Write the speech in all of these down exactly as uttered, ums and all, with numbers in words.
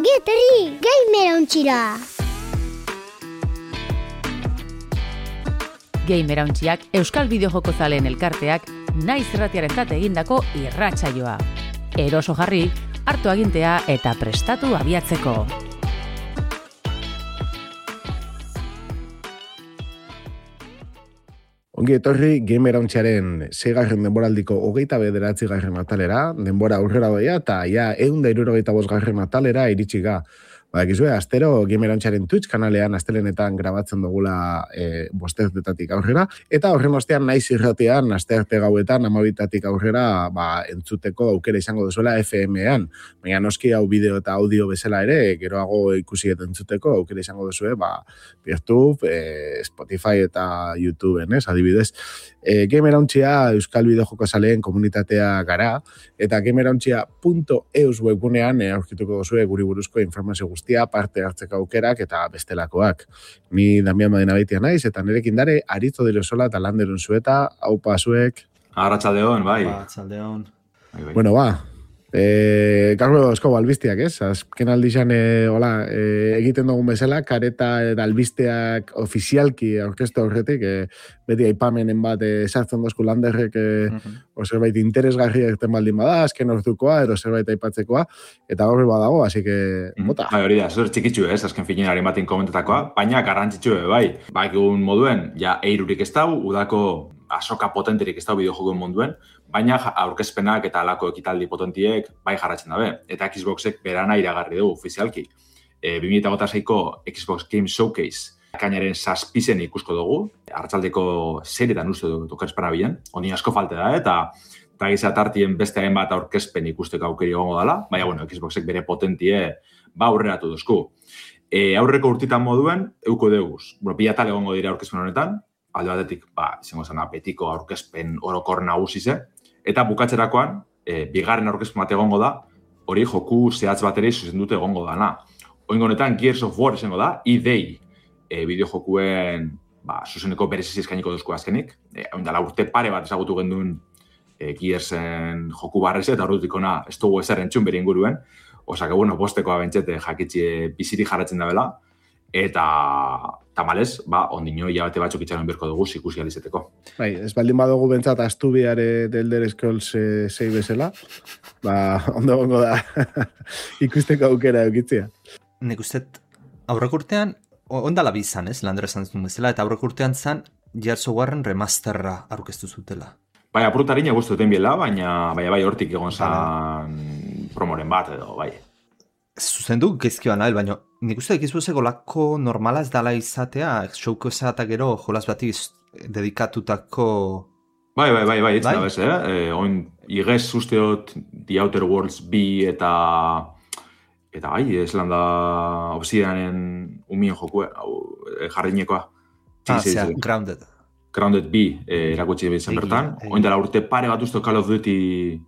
Ongi etorri, Gamerauntxira! Gamerauntxiak Euskal Bideojoko zaleen elkarteak naiz irratiarentzat egindako irratsaioa. Eroso jarri, hartu agintea eta prestatu abiatzeko. Ongi etorri Gamerauntxaren seigarren denboraldiko hogeita bederatzigarren atalera, denbora aurrera doia eta ja ehun eta hirurogeita bosgarren atalera iritsi ga. Badakizue, astero Gamerauntxaren Twitch kanalean astelenetan grabatzen dugula e, bosterdetatik aurrera, eta horren ostean naiz irratean astearte gauetan amabitatik aurrera ba, entzuteko aukera izango duzuela F M-ean. Baina noski hau bideo eta audio bezala ere, geroago ikusi eta entzuteko aukera izango duzue, ba, YouTube, e, Spotify eta YouTubeen, ez, adibidez. E, Gamerauntxia Euskal Bideojoko zaleen komunitatea gara, eta gamerauntxia punto eus webgunean e, aurkituko duzue guri buruzko informazio guztia, parte hartzeko aukerak eta bestelakoak. Ni Damian Madinabeitia naiz, eta nirekin dare Aritzo Dilosola eta Landerun Zueta, haupa zuek. Arratsaldeon, bai. Arratsaldeon. Bai, bai. Bueno, ba, e, gaur esko albiztiak, ez? Azken aldizan, e, hola, e, egiten dugun bezala, kareta eta albizteak ofizialki aurkeztu aurretik, e, beti aipamenen bat e, sartzen dozku Landerrek, e, uh-huh. o zerbait interesgarri egiten baldin bada, azken ordukoa, edo zerbait aipatzekoa, eta gaur badago, así que, bota. Bai, hori da, zer txikitzu ez, azken finearen batin komentetakoa, baina garrantzitsu bai. Bai, egun moduen, ja, eirurik ez dau, udako asoka potenterik ez dau bideojokoen munduen, baina aurkezpenak eta alako ekitaldi potentiek bai jarratzen dabe. Eta Xboxek berana iragarri dugu ofizialki. E, bi mila hogeita seiko Xbox Game Showcase kainaren zazpizen ikusko dugu, hartzaldeko seretan uste dugu okerspana bilen, ondin asko falte da, eta eta gizat hartien beste hainbat aurkezpen ikusteko aukeri egongo dela, baina, bueno, Xboxek bere potentie ba aurreratu duzku. E, aurreko urtitan moduen, euko deuguz. Bueno, pilatal egongo dira aurkezpen honetan, alde batetik, ba, izango zena, betiko aurkezpen orokor nagusize, eta bukatzerakoan, e, bigarren aurkezpen bat egongo da, hori joku zehatz bateri zuzendute egongo dana. Oingo honetan, Gears of War izango da, E D A, e, bideojokuen ba, zuzeneko bereziz eskainiko duzko azkenik. E, ondala urte pare bat ezagutu genduen e, Gearsen joku barreze, eta horretik ona ez dugu ezer entzun bere inguruen. Osake, bueno, bostekoa bentsete jakitxe biziri jarratzen da bela, eta tamalez, ba, ondino hilabete batzuk itxaron berko dugu ikusi alizeteko. Bai, ez baldin badugu bentsat astubiare del Elder Scrolls sei bezala, ba, ondo gongo da ikusteko aukera eukitzea. Nik uste aurreko urtean, ondala bizan, ez, Lander esan zuen bezala, eta aurreko urtean zan, Gears of Warren remasterra aurkeztu zutela. Bai, apurtarina guztu duten biela, baina bai, bai hortik egon zan promoren bat edo, bai. Zuzendu gezkioa nahi, baina nik uste ekizbuzeko lako normala ez dala izatea, showko eta gero jolas bati dedikatutako... Bai, bai, bai, bai, etzen da bez, eh? eh oin, igez usteot The Outer Worlds bi eta... Eta bai, ez landa Obsidianen umien joku, jarrinekoa. Ah, zera, Grounded. Grounded bi eh, erakutsi bezan bertan. Oin dela urte pare bat uste Call of Duty...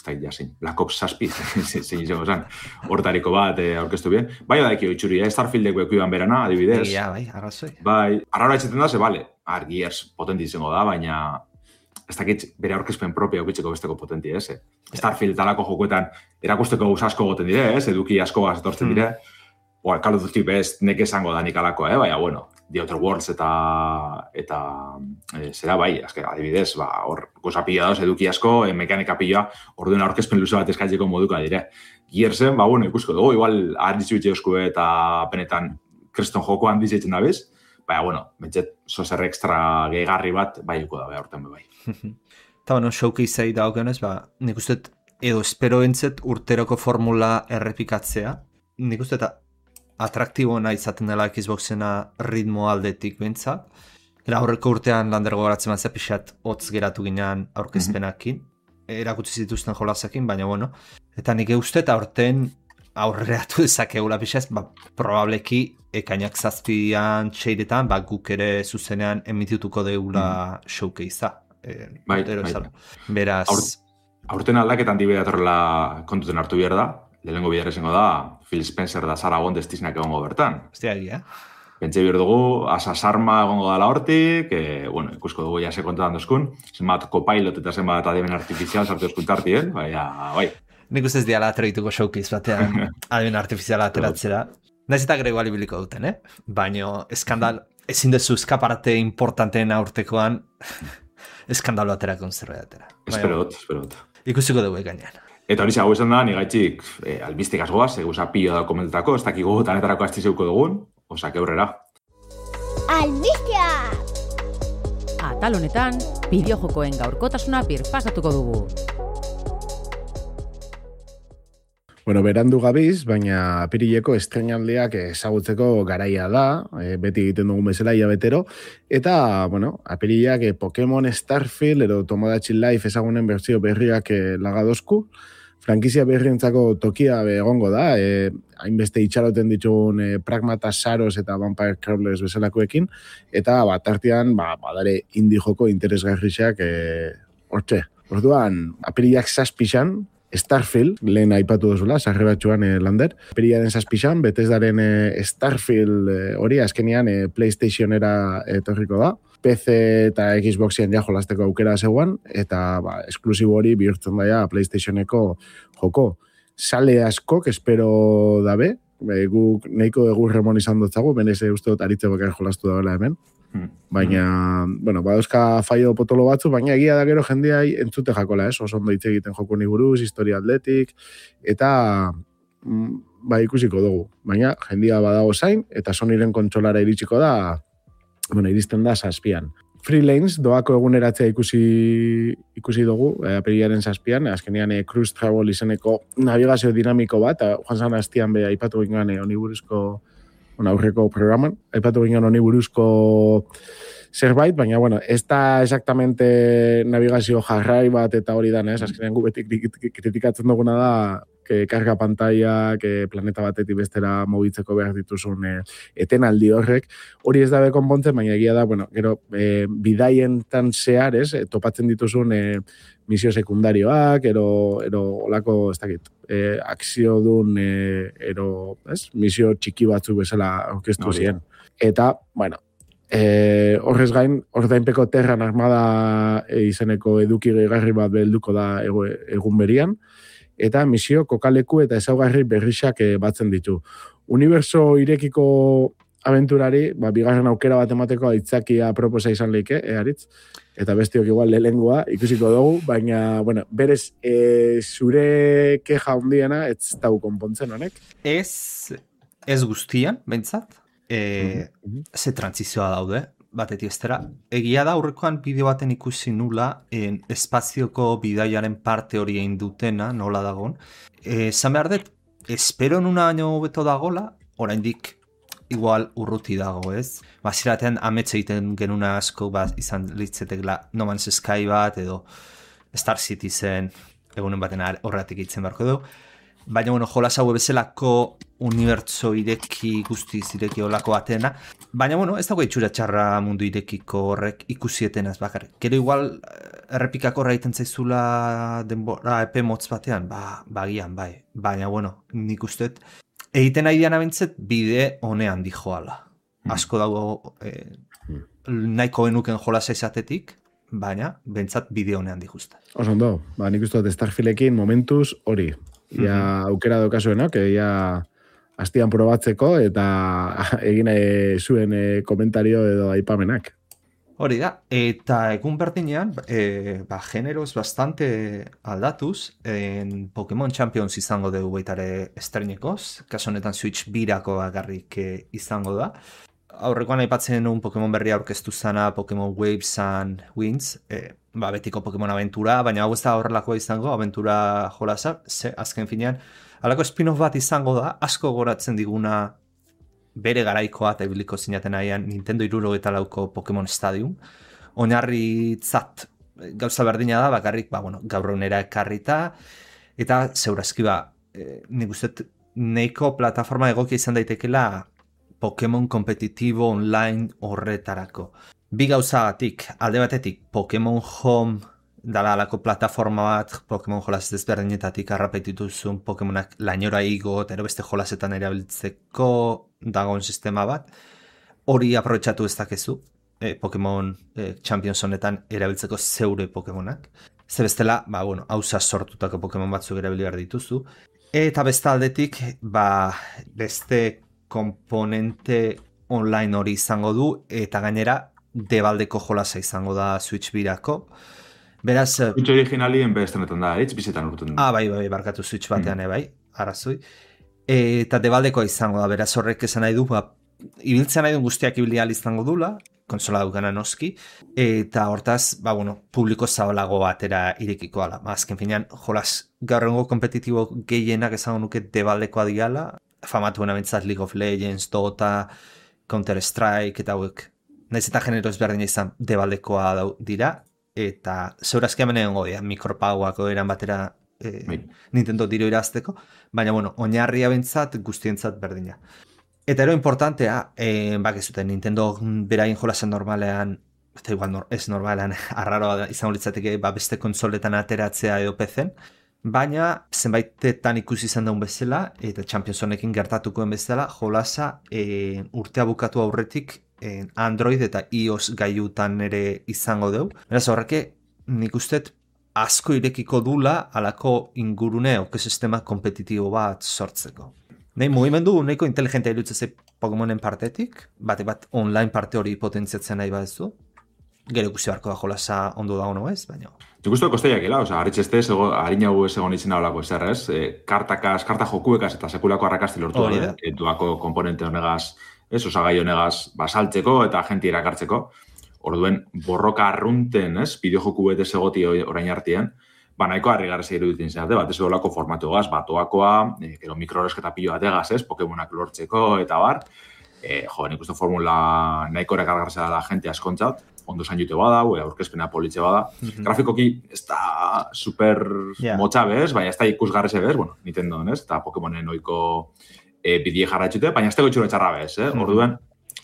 Eta jasin, Black Ops zazpi, zein izango zen, hortariko bat eh, aurkeztu bien. Bai, badaiki oitxuri, eh? Starfieldeko ekuiban berana, adibidez. Ja, bai, arrazoi. Bai, arraura etxeten da, ze, bale, ar, Gears potenti izango da, baina ez dakit bere aurkezpen propia aukitzeko besteko potenti, ez? Eh? Starfield talako jokuetan erakusteko gauz asko goten dire, ez? Eduki asko gazetortzen dire. Mm. Oa, Call of Duty best nek esango da nik alako, eh? Baina, bueno, The Outer Worlds eta eta e, zera bai, azke, adibidez, ba, hor gozapila dauz, eduki asko, e, mekanika pila, orduen aurkezpen luze bat eskatzeko moduka dire. Gearsen, ba, bueno, ikusko dugu, igual ardizu itxe euskue eta penetan kriston joko handiz eitzen da bez, baina, bueno, bentzet, zozer extra gehigarri bat, bai uko da, bai, horten bai. Eta, bueno, showcase-ei daukionez, ba, nik uste, edo espero entzet urteroko formula errepikatzea, nik uste, eta atraktiboena izaten dela Xboxena ritmo aldetik bintzat. Era aurreko urtean Landergo garatzen bat zapixat hotz geratu ginean aurkezpenakin. Mm-hmm. Erakutsi zituzten jolasakin, baina bueno. Eta nik uste eta aurten aurreatu dezakegula pixaz, ba, probableki ekainak zazpian txeiretan, ba, guk ere zuzenean emitituko deula mm-hmm. showcasea. E, bai, bai. Beraz... Aur, aurten aldaketan dibera torrela kontuten hartu behar da. Lehenengo bidar esango da, Phil Spencer da Sarah Bondes tiznak egongo bertan. Hostia, egia. Pentsa behar dugu, Asa Sarma egongo dela hortik, e, bueno, ikusko dugu ja se kontetan dozkun, zenbat copilot eta zenbat ademen artifizial sartu dozkun tartien, baina, bai. Nik ustez diala atreituko showcase batean adimen artifiziala ateratzera. Naiz eta grego alibiliko duten, eh? Baina eskandal, ezin dezu eskaparate importanteen aurtekoan eskandalo aterakon zerbait atera. Espero dut, espero dut. Ikusiko dugu gainean. Eta hori hau esan da, nigaitxik eh, albistik asgoaz, eguza pilo da komentetako, ez dakigu tanetarako astizeuko dugun, osak eurrera. Albistea! Atal honetan, bideojokoen gaurkotasuna birpasatuko dugu. Bueno, berandu gabiz, baina apirileko estrenaldiak ezagutzeko garaia da, e, beti egiten dugun bezala hilabetero, eta, bueno, apirilak e, Pokemon Starfield edo Tomodachi Life ezagunen bertsio berriak e, lagadozku, frankizia berrientzako tokia egongo da, e, hainbeste itxaroten ditugun e, Pragmata Saros eta Vampire Crawlers bezalakoekin, eta bat artean, ba, badare indie joko interesgarrixak e, hortxe. Orduan, apirilak zazpixan, Starfield, lehen aipatu duzula, sarreratxuan e, lander. Apirilaren zazpixan, Bethesdaren e, Starfield hori, e, azkenian e, PlayStationera etorriko da. P C eta Xboxen ja jolasteko aukera zegoan, eta ba, esklusibo hori bihurtzen daia PlayStationeko joko. Sale askok, espero dabe, e, guk nahiko egur remon izan dutzagu, benez uste dut aritzeko bakar jolastu dagoela hemen. Baina, mm. bueno, badozka faio potolo batzu, baina egia da gero jendeai entzute jakola, ez? Oso ondo hitz egiten joko ni buruz, historia atletik, eta mm, ba, ikusiko dugu. Baina jendia badago zain, eta Sonyren kontsolara iritsiko da, bueno, iristen da zazpian. Freelance, doako eguneratzea ikusi, ikusi dugu, eh, apirilaren zazpian, azkenean eh, Cruise Travel izeneko navigazio dinamiko bat, joan zan hastian be aipatu gingan eh, honi buruzko Bueno, aurreko programan, aipatu ginen honi buruzko zerbait, baina, bueno, ez da exactamente navigazio jarrai bat eta hori da, ez? Azkenean gu beti kritikatzen duguna da, que karga pantalla, que planeta batetik bestera mobitzeko behar dituzun e, etenaldi horrek. Hori ez dabe konpontzen, baina egia da, bueno, gero, e, bidaientan zehar, ez, e, topatzen dituzun e, misio sekundarioak, ero, ero olako, ez dakit, e, akzio dun, e, ero, ez, misio txiki batzuk bezala aurkeztu ziren. Eta, bueno, e, horrez gain, ordainpeko Terran Armada e, izeneko eduki gehigarri bat behelduko da ego, egun berian, eta misio kokaleku eta ezaugarri berrixak e, batzen ditu. Uniberso irekiko aventurari, ba, bigarren aukera bat emateko aitzakia proposa izan leike, e, aritz? Eta bestiok igual lehengoa ikusiko dugu, baina, bueno, berez, e, zure keja hundiena, ez dau konpontzen honek? Ez, ez guztian, bentsat, e, mm-hmm. ze trantzizioa daude, batetik estera. Egia da, aurrekoan bideo baten ikusi nula, en, espazioko bidaiaren parte hori egin dutena, nola dagon. E, zan behar dut, espero nuna baino beto dagola, oraindik igual urruti dago, ez? Baziratean ametxe egiten genuna asko bat izan litzetekla No Man's Sky bat edo Star Citizen egunen baten horretik itzen barko du. Baina, bueno, jolas hau bezalako unibertso ireki guztiz ireki olako batena. Baina, bueno, ez dago itxura txarra mundu irekiko horrek ikusieten ez bakar. Gero igual errepikako horreiten zaizula denbora epe motz batean, ba, bagian, bai. Baina, bueno, nik usteet egiten nahi dian abintzet bide honean di joala. Asko dago eh, nahiko genuken jolasa izatetik, baina bentsat bide honean di justa. Oso ondo, ba, nik uste dut Starfieldekin momentuz hori. Ja mm-hmm. aukera daukazuenak, ja hastian probatzeko eta egin zuen e, komentario edo aipamenak. Hori da, eta egun berdinean, e, ba, generoz bastante aldatuz, en Pokemon Champions izango dugu baitare estrenekoz, kaso honetan Switch birako agarrik e, izango da. Aurrekoan aipatzen un Pokemon berria aurkeztu zana Pokemon Waves and Winds, e, ba, betiko Pokemon aventura, baina hau ez da horrelakoa izango, aventura jolasa, ze, azken finean, halako spin-off bat izango da, asko goratzen diguna bere garaikoa eta ibiliko zinaten nahian Nintendo hirurogeita lauko Pokemon Stadium. Oinarri tzat gauza berdina da, bakarrik, ba, bueno, gaur egunera ekarrita, eta zeurazki ba, e, nik uste neiko plataforma egokia izan daitekela Pokemon kompetitibo online horretarako. Bi gauzagatik, alde batetik Pokemon Home dala alako plataforma bat, Pokemon jolas desberdinetatik arrapeitituzun Pokemonak lainora igo, eta beste jolasetan erabiltzeko dagoen sistema bat. Hori aprobetxatu ez dakezu, eh, Pokemon eh, Champions honetan erabiltzeko zeure Pokemonak. Ze bestela, ba, bueno, hauza sortutako Pokemon batzuk erabili behar dituzu. Eta beste aldetik, ba, beste komponente online hori izango du, eta gainera, debaldeko jolasa izango da Switch birako. Beraz... Switch originalien bestenetan da, hitz bizetan urten. Ah, bai, bai, barkatu Switch batean, mm. bai, arazoi. Eta debaldekoa izango da, beraz horrek esan nahi du, ba, ibiltzen nahi duen guztiak ibili ahal izango dula, konsola dukana noski, eta hortaz, ba, bueno, publiko zabalago batera irekiko ala. Ba, azken finean, jolas, gaur egungo kompetitibo gehienak esango nuke debaldekoa diala, famatuena bintzat League of Legends, Dota, Counter-Strike, eta hauek, nahiz eta genero ezberdina izan debaldekoa dira, eta zeurazki hemen egon godia, mikropauako eran batera eh, Nintendo tiro irazteko, baina, bueno, oinarria bintzat, guztientzat berdina. Eta ero importantea, eh, bak ez zuten, Nintendo beraien jolasen normalean, eta igual nor, ez normalean, arraroa izango litzateke, ba, beste konsoletan ateratzea edo P C-en, baina zenbaitetan ikusi izan daun bezala, eta Champions honekin gertatukoen bezala, jolasa eh, urtea bukatu aurretik eh, Android eta iOS gaiutan ere izango deu. Beraz horreke, nik ustet asko irekiko dula alako ingurune ekosistema kompetitibo bat sortzeko. Nei mugimendu nahiko inteligentea irutzeze Pokemonen partetik, bate bat online parte hori potentziatzen nahi badezu. Gero ikusi barko da jolasa ondo da ono ez, baina... Nik uste kosteiak ela, oza, haritxeste, harinago ez egon izena olako ezer, ez? E, kartakaz, karta jokuekaz eta sekulako arrakazti lortu oh, da, e, duako komponente honegaz, ez, osagai honegaz, basaltzeko eta agenti erakartzeko. Orduen, borroka arrunten, ez, bideojoku bete segoti orain artien, ba, nahiko harrigarrez iruditzen zenate, bat ez dolako formatu gaz, batoakoa, e, gero mikroresketa pilo bat egaz, ez, Pokemonak lortzeko eta bar. E, jo, nik uste formula nahiko erakargarrez da gente askontzat, ondo zain jute bada, ue, aurkezpena politxe bada. Mm-hmm. Grafikoki ez da super yeah. motxa bez, baina ez da ikusgarrez bez, bueno, Nintendo, ez, eta Pokemonen oiko e, bidie jarraitxute, baina ez da gotxura txarra bez, eh? Mm-hmm. Orduen,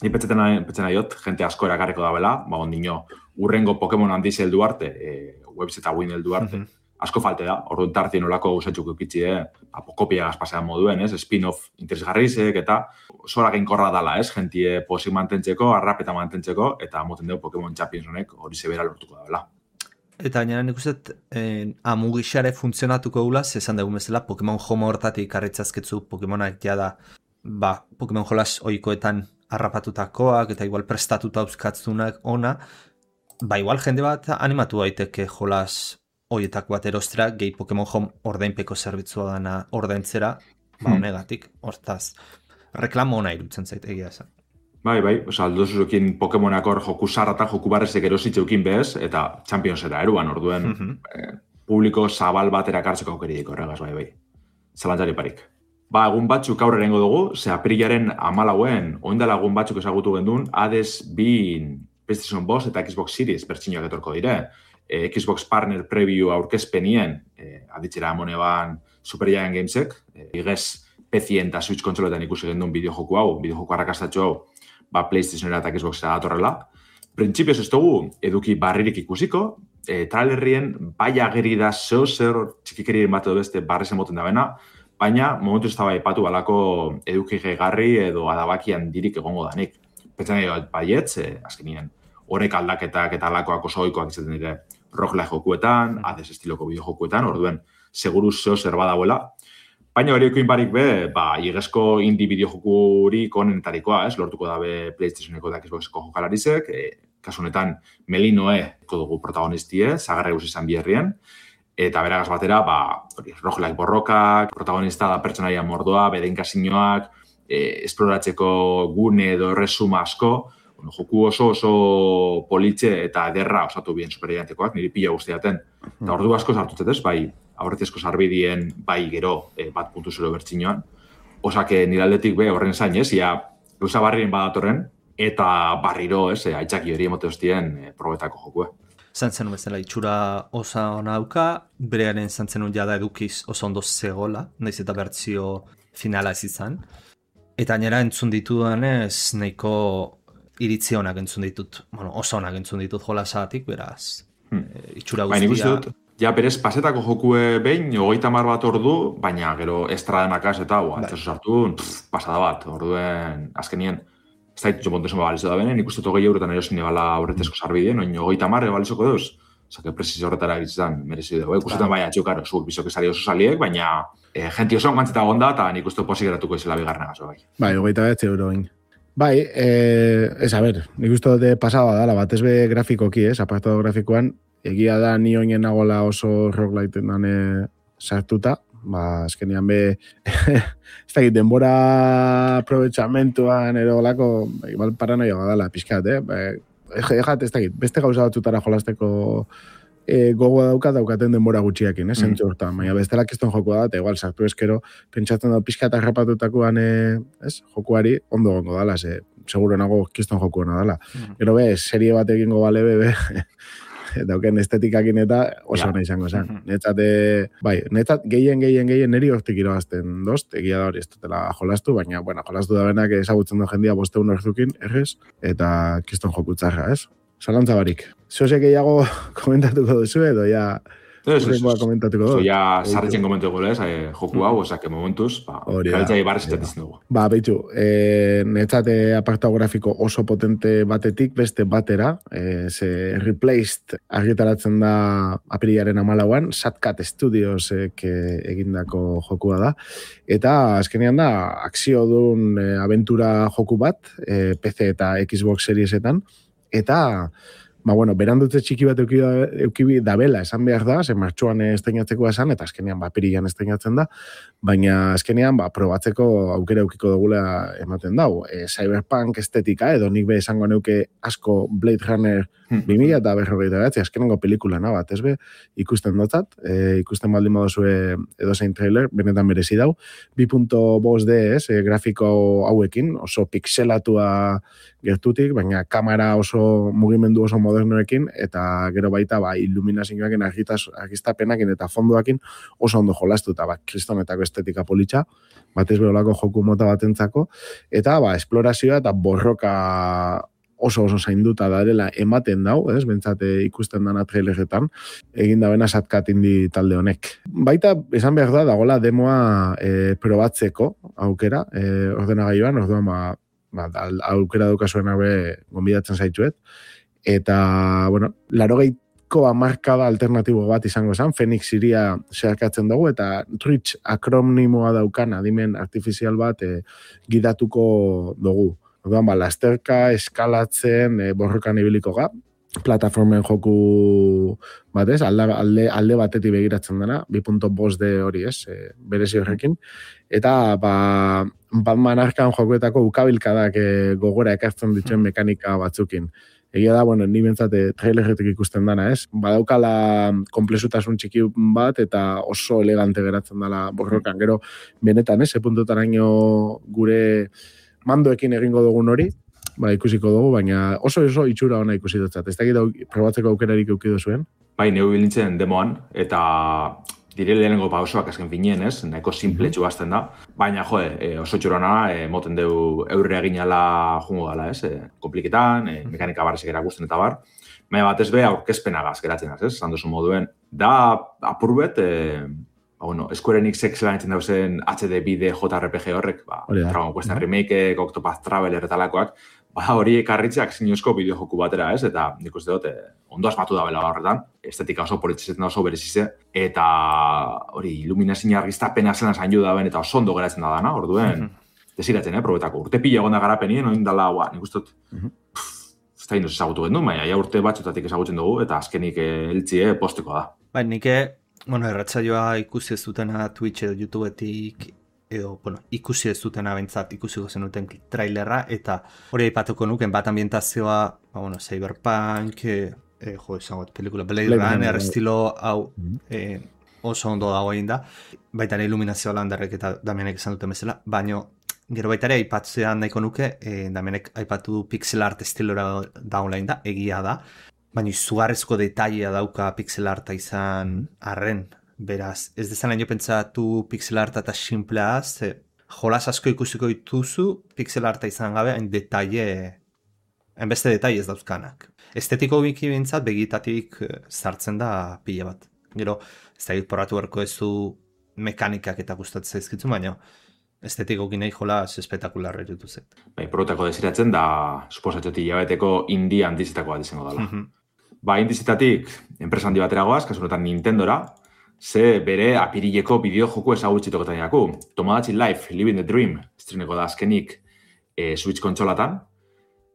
ni petxeten aiot, jente asko erakarriko da bela, ba, ondino, urrengo Pokemon handiz heldu arte, e, webs eta win heldu arte, mm-hmm. asko falte da, orduan tartien olako gauzatxuk eukitzi, eh? Kopia gazpasean moduen, ez? Spin-off interesgarrizek eta zora geinkorra dala, ez? Gentie posik mantentzeko, arrapeta mantentzeko, eta moten dugu Pokemon Champions honek hori zebera lortuko da, bela. Eta gainera nik uste, eh, amugixare funtzionatuko gula, zezan dugu bezala, Pokemon Home hortatik arretzazketzu Pokemonak jada, ba, Pokemon jolas oikoetan harrapatutakoak, eta igual prestatuta euskatzunak ona, ba, igual jende bat animatu daiteke jolas hoietako bat erostera, gehi Pokemon Home ordainpeko zerbitzua dana ordaintzera, ba, honegatik, hortaz, reklamo ona irutzen zait egia esan. Bai, bai, oza, aldozuzokin Pokemonak hor joku sarrata, joku barrezek erositzeukin bez, eta Championsera eruan, orduen mm-hmm. eh, publiko zabal bat erakartzeko aukeridiko horregaz, bai, bai. Zalantzari parik. Ba, egun batzuk aurre erengo dugu, ze aprilaren amalauen, oindala egun batzuk ezagutu gendun, Hades bin PlayStation bost eta Xbox Series bertxinoak etorko dire. Eh, Xbox Partner Preview aurkezpenien, eh, aditzera amone ban Super Giant Gamesek, eh, igez P C eta Switch konsoletan ikusi gendun bideojoku hau, bideojoku arrakastatxo hau, ba PlayStationera eta Xboxera datorrela. Printzipioz ez dugu eduki barririk ikusiko, eh, trailerrien bai ageri da zeo zer txikikerien bat edo beste barrezen moten da bena, baina momentu ez da bai patu balako eduki gegarri edo adabakian dirik egongo danik. Pentsan nahi baietz, eh, azkenien, horrek aldaketak eta alakoak oso oikoak izaten dire roguelike jokuetan, Hades estiloko bideojokuetan, orduen seguru zeo zer badagoela. Baina horiekoin barik be, ba, igezko indie bideojokurik onentarikoa, ez, lortuko dabe PlayStationeko eta Xboxeko jokalarizek, e, kasunetan Melinoe dugu protagonistie, zagarra eus izan biherrien, eta beragaz batera, ba, hori, roguelike borrokak, protagonista da pertsonaia mordoa, bedeinkasinoak, e, esploratzeko gune edo resuma asko, bueno, joku oso oso politxe eta ederra osatu bien superiantekoak, niri pila guztiaten. Eta ordu asko sartutzetez, bai, aurretezko sarbidien, bai gero e, bat puntu zero bertxinoan. Osake nire aldetik be horren zain, ez, ia gauza barrien badatorren, eta barriro, ez, e, aitzaki hori emote hostien e, probetako jokue. Zantzen bezala itxura osa ona dauka, berearen zantzen jada edukiz oso ondo zegola, naiz eta bertzio finala ez izan. Eta gainera entzun ditudanez, nahiko iritzi honak entzun ditut, bueno, oso honak entzun ditut jolasatik, beraz, hmm. e, itxura guztia. Baina ikusi dut, ja, berez, pasetako jokue behin, hogeita hamar bat ordu, baina gero estradenakaz eta hau, antzazu sartu, pff, pasada bat, orduen, azkenien, ez da ditu montesun balizo da benen, ikustu hogei eurotan erosin ebala aurretezko sarbideen, oin hogeita hamar ebalizoko deuz, Osa, que prezizio horretara egitzen merezi dugu. Ikustetan bai atxuk, karo, zuek bizok esari oso saliek, baina eh, jenti oso gantzeta gonda, eta nik uste pozik geratuko izela bigarren gazo, bai. Bai, hogeita bet euro bain. Bai, eh, ez, a ber, nik uste dute pasaba dala, bat ez be grafikoki, ez, apartado grafikoan, egia da ni oinen nagola oso rogueliten dane sartuta, ba, azkenean be, ez da, denbora aprovechamentuan edo lako, igual paranoia dala, pixkat, eh? Ba, Ejat, ez dakit, beste gauza batzutara jolasteko e, gogoa dauka daukaten denbora gutxiakin, eh, zentzu hortan. Baina bestela kiston jokoa da, eta igual, sartu eskero, pentsatzen da pixka eta rapatutakoan, e, ez, jokuari ondo gongo dala, ze, seguro nago kiston jokuena dala. Mm. Gero be, serie bat egingo bale be, be dauken estetikakin eta oso nahi izango zen. Mm-hmm. Netzat, bai, netzat gehien, gehien, gehien neri hortik irabazten dozt, egia da hori ez dutela jolastu, baina, bueno, jolastu da benak ezagutzen du jendia bosteun horzukin, errez, eta kiston jokutzarra, ez? Zalantza barik. Zozek gehiago komentatuko duzu edo, ja... Ez, ez, ez. Komentatuko dugu. Ja, sarritzen komentuko lez, eh, joku hau, osake momentuz, ba, galtzai barrez etatzen dugu. Ba, behitxu, e, netzate apartado grafiko oso potente batetik, beste batera, e, ze Replaced argitaratzen da apirilaren amalauan, Satcat Studios ek, egindako jokua da, eta azkenean da, akzio duen e, aventura joku bat, e, P C eta Xbox Seriesetan, eta... Ba, bueno, berandutze txiki bat eukibi dabela, esan behar da, zen martxuan estreinatzeko esan, eta azkenean, ba, apirilan estreinatzen da, baina azkenean, ba, probatzeko aukera eukiko dugula ematen dau. E, cyberpunk estetika, edo nik be esango neuke asko Blade Runner bi mila eta berrogeita behatzi, azkenengo pelikulana bat, ez be, ikusten dotzat, e, ikusten baldin badozue edo zein trailer, benetan merezi dau, bi puntu bost D, ez, e, grafiko hauekin, oso pixelatua gertutik, baina kamera oso mugimendu oso modernoekin, eta gero baita ba, iluminazioakin argiztapenakin eta fondoakin oso ondo jolastu, eta ba, kristonetako estetika politxa, batez beholako joku mota batentzako, eta ba, esplorazioa eta borroka oso oso zainduta darela ematen dau, ez, bentsate ikusten dana traileretan, egin da bena Satcat indi talde honek. Baita, esan behar da, dagoela demoa e, probatzeko aukera, e, ordenagailuan, orduan, ba, ba, aukera daukazuen haue gonbidatzen zaitzuet, eta, bueno, larogeiko hamarkada alternatibo bat izango zen, Phoenix iria zeharkatzen dugu, eta Twitch akronimoa daukan adimen artifizial bat e, gidatuko dugu. Orduan, ba, lasterka, eskalatzen, e, borrokan ibiliko ga, plataformen joku bat ez, alde, alde, alde batetik begiratzen dena, bi puntu bost D hori ez, e, berezi horrekin, eta ba, Batman Arkham jokuetako ukabilkadak e, gogora ekartzen dituen mekanika batzukin. Egia da, bueno, ni bentsate trailerretik ikusten dana, ez? Badaukala komplexutasun txiki bat eta oso elegante geratzen dela borrokan. Gero, benetan, ez? Epuntotaraino gure mandoekin egingo dugun hori, ba, ikusiko dugu, baina oso oso itxura ona ikusi dutzat. Ez dakit probatzeko aukerarik eukidu zuen? Bai, neu bilintzen demoan, eta dire lehenengo pausoak azken finien, ez? Nahiko simpletxu bazten da. Baina, jode, e, oso txurona, e, moten deu eurre eginala jungo dala, ez? E, kompliketan, e, mekanika barrezek erakusten eta bar. Baina batez be, aurkezpenagaz geratzen az, ez? Zan duzu moduen. Da, apurbet, e, ba, bueno, Square Enix lan entzen dauzen H D B D J R P G horrek, ba, Dragon Quest Remake, Octopath Traveler eta lakoak, ba, hori ekarritzeak zinozko bideojoku batera, ez? Eta nik uste dut, ondo asmatu da bela horretan, estetika oso politzizetan oso berezize, eta hori, iluminazio argiztapena zena zainu da ben, eta oso ondo geratzen da dana, orduen, desiratzen, eh, probetako. Urte pila egon da garapenien, oin dala, ba, nik uste dut, ez da inoz ezagutu gendu, baina ja urte batxutatik ezagutzen dugu, eta azkenik eltzi, eh, posteko da. Bai, nik, bueno, erratzaioa ikusi ez dutena Twitch edo YouTubeetik, edo, bueno, ikusi ez dutena bentsat, ikusiko zenuten trailerra, eta hori aipatuko nuken bat ambientazioa, ba, bueno, Cyberpunk, e, e, jo, esango, pelikula Blade, Blade Runner, estilo hau e, oso ondo dago egin da, baita ere iluminazioa landarrek eta Damienek esan duten bezala, baino, gero baita ere aipatzean nahiko nuke, e, Damienek aipatu du pixel art estilora dagoen da, egia da, baina izugarrezko detailea dauka pixel arta izan arren. Beraz, ez dezan jo pentsatu pixel arta eta simplea, ze jolas asko ikusiko dituzu pixel arta izan gabe, hain detaile, hainbeste detaile ez dauzkanak. Estetiko biki bintzat, begitatik sartzen da pila bat. Gero, ez da porratu berko ez du mekanikak eta gustatzen zaizkitzu, baina estetiko ginei jolas espetakularra erutu zet. Bai, porrotako desiratzen da, suposatxoti jabeteko indie handizetako bat izango dela. Ba, indizitatik, enpresa handi bateragoaz, kasu honetan Nintendora, ze bere apirileko bideo joku ezagutzitoketan jaku. Tomodachi Life, Living the Dream, estreneko da azkenik e, Switch kontsolatan.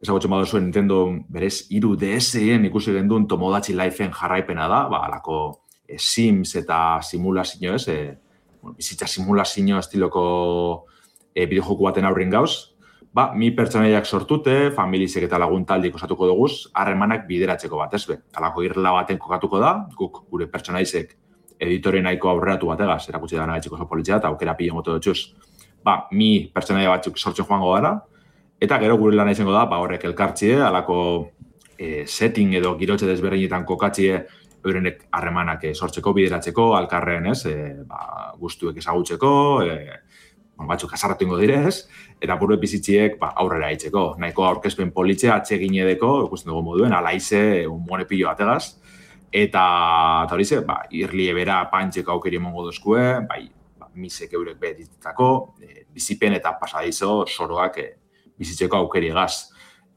Ezagutzen baduzu Nintendo berez hiru D S-en ikusi genduen Tomodachi Life-en jarraipena da, ba, alako e, Sims eta simulazio ez, e, bueno, bizitza simulazio estiloko e, bideojoku baten aurrin gauz. Ba, mi pertsonaiak sortute, familizek eta laguntaldik osatuko duguz, harremanak bideratzeko bat, ez be. Alako irla baten kokatuko da, guk gure pertsonaizek editore nahiko aurreratu bategaz, erakutsi da nagaitxiko oso politzea, eta aukera pila moto dutxuz. Ba, mi pertsonaia batzuk sortzen joango gara, eta gero gure lana izango da, ba, horrek elkartzie, alako e, setting edo girotxe desberdinetan kokatzie, eurenek harremanak e, sortzeko, bideratzeko, alkarren, ez, e, ba, guztuek ezagutzeko, e, bueno, batzuk azarratu ingo direz, eta buru bizitziek ba, aurrera hitzeko. Nahiko aurkezpen politzea atsegin edeko, ikusten dugu moduen, alaize, un monepillo bategaz, eta, eta hori ze, ba, irli ebera pantxeko aukeri emongo dozkue, bai, ba, misek eurek beheditetako, e, bizipen eta pasadizo soroak e, bizitzeko aukeri egaz.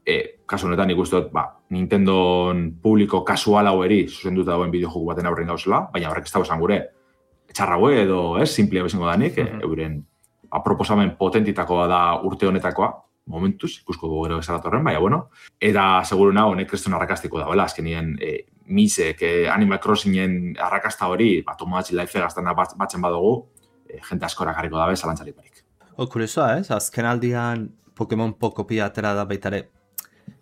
E, kasu honetan ikustut, ba, Nintendo publiko kasual hau eri, zuzenduta dagoen bideojoku baten aurren gauzela, baina horrek ez dago esan gure, etxarraue edo, ez, simplea bezango danik, mm-hmm. e, euren A, proposamen potentitakoa da urte honetakoa, momentuz, ikusko dugu gero bezalatorren, baina, bueno. Eta, seguru nago, honek kristun arrakastiko da, bela, azkenien e, misek, e, Animal Crossingen arrakasta hori, ba, Tomodachi Life gaztana bat, batzen badugu, e, jente askora garriko dabe, zalantzarik barik. O, kuriosoa, ez? Azken aldian Pokemon Pokopia atera da baitare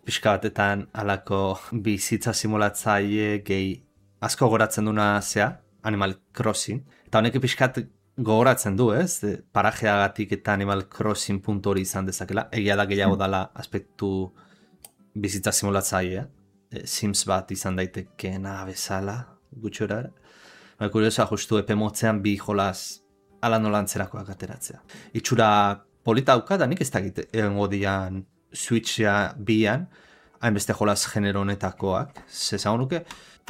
pixka batetan alako bizitza simulatzaile gehi asko goratzen duna zea, Animal Crossing. Eta honek pixkat gogoratzen du, ez? Parajeagatik eta Animal Crossing puntu hori izan dezakela. Egia da gehiago dala aspektu bizitza simulatzailea. Sims bat izan daitekeena bezala, gutxora. Baina kuriosoa justu epe motzean bi jolaz ala nolantzerakoak ateratzea. Itxura polita dauka, da nik ez dakit egongo dian Switcha bian, hainbeste jolaz genero honetakoak. Zezagun nuke,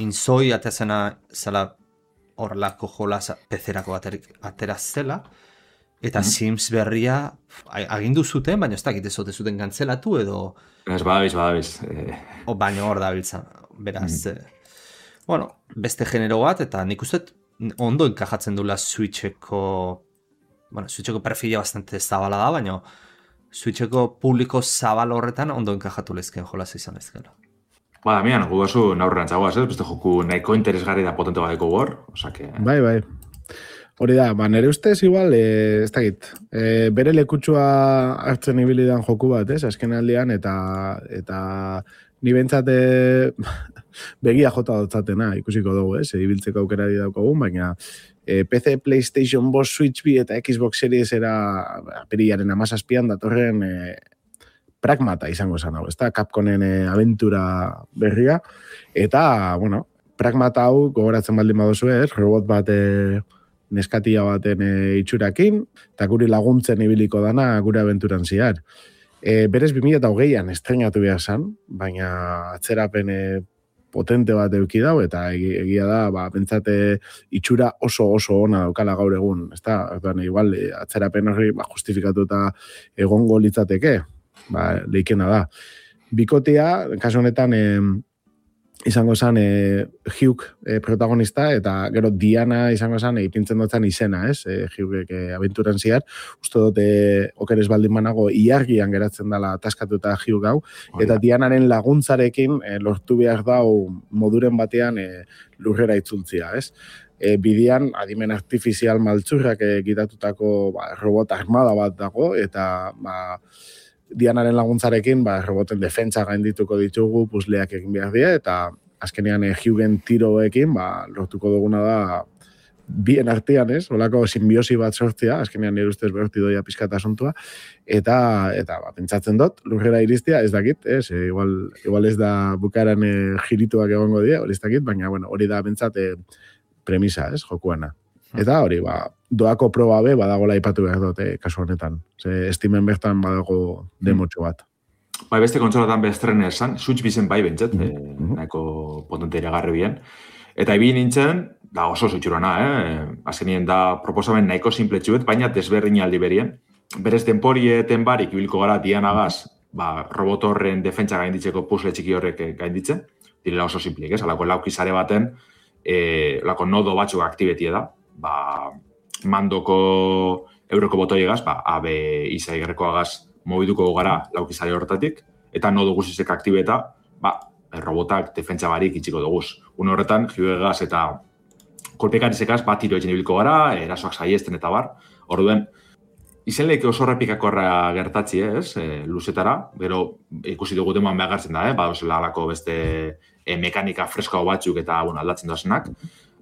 inzoi atezena zela horrelako jolaz pezerako ateraz zela, eta mm-hmm. Sims berria agindu zuten, baina ez dakit ez ote zuten kantzelatu edo... Ez badabiz, badabiz. Eh... O baino hor dabiltzen, beraz. Mm-hmm. eh, bueno, beste genero bat, eta nik uste ondo enkajatzen dula Switcheko... Bueno, Switcheko perfila bastante zabala da, baina Switcheko publiko zabal horretan ondo enkajatu lezken jolaz izan lezkela. Ba, Damian, gu bazu naurrean txagoaz, ez? Beste joku nahiko interesgarri da potente badeko gor, osake... Bai, bai. Hori da, ba, nire ustez igual, e, ez dakit, e, bere lekutsua hartzen ibilidan joku bat, ez? Azken aldean, eta, eta ni bentsate begia jota dotzatena, ikusiko dugu, ez? Ibiltzeko aukera di daukagun, baina e, P C, PlayStation, Boss, Switch bi eta Xbox Series era apirilaren amazazpian datorren... E, Pragmata izango esan hau, ez da, Capcomen e, aventura berria, eta, bueno, Pragmata hau gogoratzen baldin baduzu ez, robot bat e, neskatia baten e, itxurakin, eta guri laguntzen ibiliko dana gure aventuran ziar. E, berez bi mila hogeian estrenatu behar zan, baina atzerapen e, potente bat eduki dau, eta egia da, ba, bentsate itxura oso oso ona daukala gaur egun, ez da, igual, atzerapen horri ba, justifikatuta egongo litzateke, ba, leikena da. Bikotea, kasu honetan, e, izango zen e, Hugh e, protagonista, eta gero Diana izango zen e, ipintzen dutzen izena, ez? E, Hugh e, aventuran ziar, uste dut, e, okeres baldin banago, iargian geratzen dela taskatuta Hugh gau, eta Dianaren laguntzarekin e, lortu behar dau moduren batean e, lurrera itzultzia, ez? E, bidian, adimen artifizial maltzurrak egitatutako ba, robot armada bat dago, eta ba, Dianaren laguntzarekin, ba, roboten defentsa gaindituko ditugu, puzleak egin behar dira, eta azkenean eh, Hughen tiroekin, ba, lortuko duguna da bien artean, ez? Olako simbiosi bat sortzea, azkenean nire ustez behorti doia pizkata asuntua, eta, eta ba, pentsatzen dut, lurrera iristia, ez dakit, ez? E, igual, igual ez da bukaran e, jirituak egongo dira, hori ez dakit, baina, bueno, hori da pentsate premisa, ez? Jokuana. Eta hori, ba, doako proba be, badagola ipatu behar dut, eh, kasu honetan. Ze estimen bertan badago demotxo bat. Bai, beste kontsolatan bestren esan, Switch bizen bai bentzat, mm-hmm. eh, nahiko potente iragarri bien. Eta ibi nintzen, da oso zutxurana, eh? Azkenien da proposamen nahiko simpletxuet, baina desberdin aldi berien. Berez temporieeten barik ibilko gara Dianagaz, ba, robot horren defentsa gainditzeko puzzle txiki horrek gainditzen. direla oso simplik, ez? Alako laukizare baten, e, lako nodo batzuk aktibetie da, ba, mandoko euroko botoiegaz, ba, A, B, iza igerrekoagaz mobiduko gara laukizare horretatik, eta nodo guzizek aktibeta, ba, robotak defentsa barik itxiko duguz. Un horretan, jiuegaz eta kolpekarizekaz bat tiro etxen ibilko gara, erasoak saiesten eta bar. Orduen, izenleik oso repikakorra gertatzi, ez, e, luzetara, gero ikusi dugu demoan behartzen da, eh? Ba, osela alako beste e, mekanika freskoa batzuk eta bueno, aldatzen doazenak.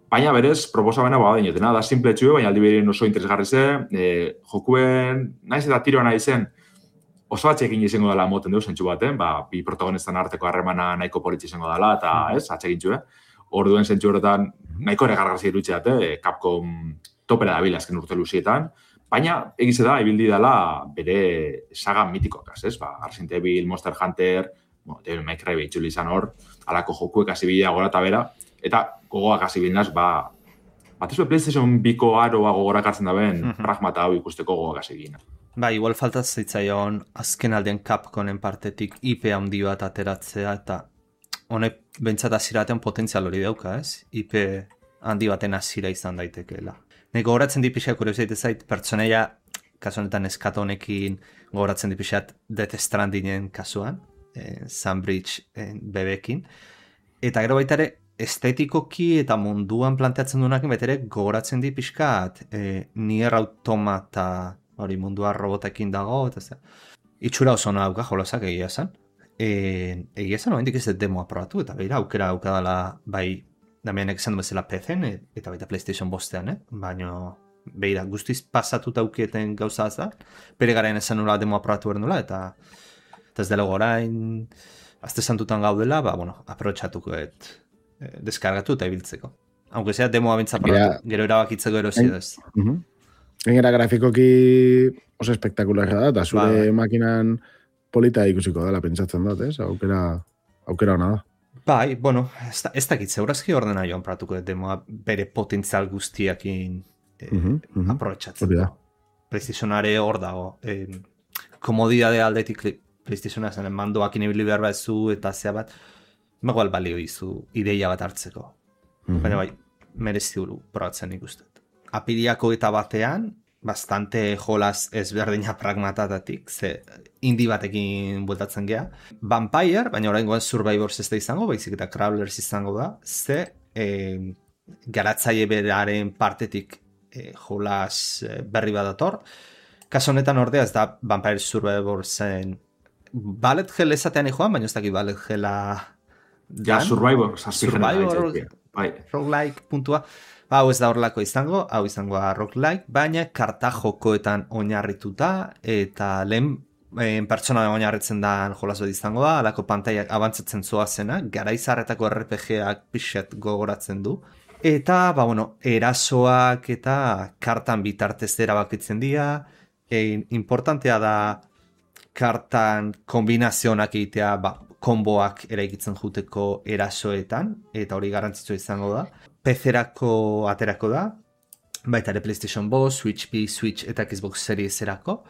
Baina berez, proposabena ba, dinotena, da simple txue, baina aldi berin oso interesgarri ze, e, jokuen, naiz eta tiroa nahi zen, oso atxekin izango dela moten dugu zentsu baten, ba, bi protagonistan arteko harremana nahiko politxe izango dela, eta ez, atxekin txue. Orduen zentsu horretan, nahiko ere gargarzi irutxeat, eh? Capcom topera da bila azken urte luzietan, baina egize da, ibildi dela bere saga mitikoak, ez? Ba, Resident Evil, Monster Hunter, bueno, Devil May Cry behitxuli izan hor, alako jokuek hasi bidea gora eta bera, eta gogoak hasi bidinaz, ba, bat ez PlayStation biko aroa gogorak hartzen da ben, mm-hmm. pragmata hau ikusteko gogoak hasi bidina. Ba, igual falta zitzaion azken aldean Capcomen partetik I P handi bat ateratzea, eta honek bentsat aziraten potentzial hori dauka, ez? I P handi baten azira izan daitekeela. Nek gogoratzen dipixak kuriosit ezait, pertsoneia, kasu honetan eskato honekin gogoratzen dipixat Death Strandingen kasuan, eh, Sunbridge eh, bebekin, eta gero baita ere, estetikoki eta munduan planteatzen duenakin betere gogoratzen dipixkat eh, Nier Automata hori mundua robotekin dago, eta ze. Itxura oso no dauka jolasak egia esan. E, egia esan, oendik ez dut demoa probatu, eta beira, aukera aukadala bai, damienek esan du bezala P C-en, eta baita PlayStation bostean, eh? Baina, beira, guztiz pasatuta aukieten gauza da, bere garen esan nula demoa probatu behar nula, eta, eta ez dela gorain, azte santutan gaudela, ba, bueno, aprotxatuko et eh, deskargatu eta ibiltzeko. Aunque sea demoa bintza probatu, gero erabakitzeko erosi ez. Uh-huh. Gainera grafikoki oso espektakularra da, eta zure ba, makinan polita ikusiko dela, pentsatzen dut, ez? Aukera, aukera hona da. Bai, bueno, ez, da, ez dakit zeurazki ordena joan pratuko demoa bere potentzial guztiakin eh, uh-huh, uh-huh. aprotxatzen. Da. PlayStationare hor dago. Eh, komodidade aldetik PlayStationa zen mandoak inibili behar bat zu eta zea bat, magoal balio izu ideia bat hartzeko. Uh-huh. Baina bai, merezi duru probatzen ikustet. Apiriako eta batean, bastante jolas ezberdina pragmatatatik, ze indi batekin bueltatzen gea. Vampire, baina orain goan Survivors ez da izango, baizik eta Crawlers izango da, ze eh, garatzaile beraren partetik eh, jolas eh, berri bat dator. Kaso honetan ordea ez da Vampire Survivorsen Ballet Hell esatean joan, baina ez dakit Ballet Hella... Ja, Survivors. Survivor, roguelike puntua. Ba, hau ez da horrelako izango, hau izangoa roguelike, baina karta jokoetan oinarrituta, eta lehen eh, pertsona oinarritzen da jolas bat izango da, alako pantaiak abantzatzen zoazena, garaizarretako R P G-ak pixet gogoratzen du. Eta, ba, bueno, erasoak eta kartan bitartez erabakitzen dira, e, importantea da kartan kombinazionak egitea, ba, konboak eraikitzen juteko erasoetan, eta hori garrantzitsua izango da. P C-erako aterako da, baita ere PlayStation bost, Switch B, Switch eta Xbox Series erako.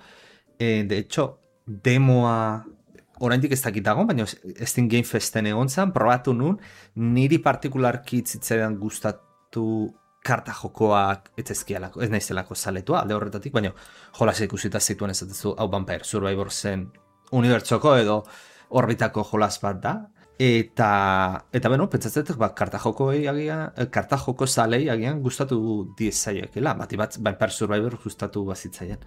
E, de hecho, demoa oraindik ez dakit dago, baina Steam Game Festen egon zen, probatu nun, niri partikularki zitzaidan gustatu karta jokoak ez ezkialako, ez naizelako zaletua, alde horretatik, baina jolas ikusita zituen ez dut hau Vampire Survivorsen unibertsoko edo orbitako jolas bat da. Eta, eta beno, pentsatzetek, ba, karta joko agian, karta joko zalei agian gustatu diezaiekela, bati bat, Vampire Survivor gustatu bazitzaien.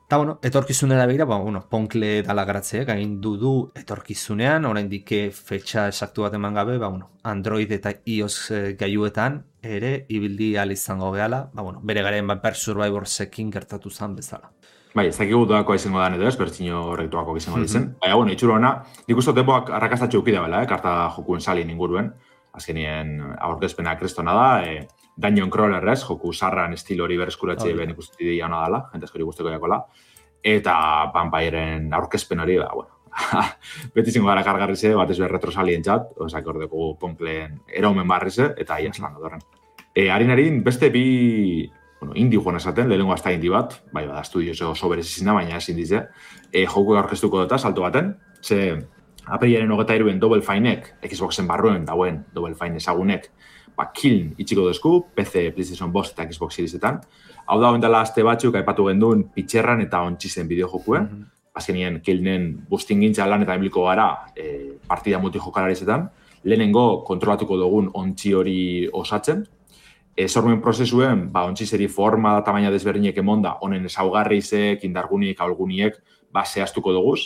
Eta, bueno, etorkizunera begira, ba, bueno, Ponkle dala garatzeak, egin du du etorkizunean, oraindik fetxa esaktu bat eman gabe, ba, bueno, Android eta iOS gaiuetan ere ibildi ahal izango gehala, ba, bueno, bere garen Vampire Survivorsekin gertatu zen bezala. Bai, ez dakigu doako izango da edo ez, bertzino horrektuako izango dizen. Mm-hmm. Baina, bueno, itxuro hona, nik uste depoak arrakastatxo eukidea bela, eh, karta jokuen salin inguruen. Azkenien aurkezpena kristona da, eh, Dungeon Crawler ez, joku sarran estilo hori berreskuratxe oh, ben ikusti dira hona dela, jentezko hori guzteko jakola. Eta Vampireen aurkezpen hori, ba, bueno, beti zingo gara kargarri ze, bat ez behar retrosalien txat, osak ordeko Ponkleen eromen barri ze, eta iaz lan dodorren. E, harin-harin, beste bi... Bueno, indi joan esaten, lehenengo hasta indi bat, bai, bada, estudio oso berez izina, baina ezin dize, e, joku aurkeztuko dut salto baten, ze apirilaren hogeita hiruen Double Finek, Xboxen barruen dauen Double Fine ezagunek, ba, Kiln itxiko dezku, P C, PlayStation bost eta Xbox Seriesetan. Hau da, ondela aste batzuk, aipatu genduen pitxerran eta ontxizen bideojokue. Mm -hmm. Azkenien, Kilnen bustingintza lan eta emiliko gara e, partida multijokalarezetan. Lehenengo kontrolatuko dugun ontzi hori osatzen. E, sormen prozesuen, ba, ontzizeri forma da tamaina desberdinek emonda, honen ezaugarrizek, indargunik, ahulguniek, ba, zehaztuko duguz.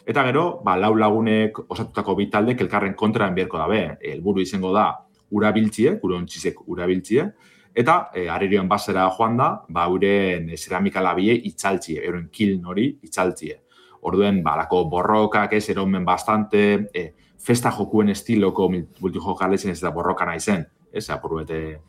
Eta gero, ba, lau lagunek osatutako bitaldek elkarren kontraan beharko dabe. Helburu izango da, urabiltzie, gure ontzizek urabiltzie, eta e, arerioen basera joan da, ba, euren e, ceramika labie itzaltzie, euren Kiln hori itzaltzie. Orduen, ba, lako borrokak ez, eromen bastante, e, festa jokuen estiloko multijokaletzen ez da borroka nahi zen, ez, apur bete,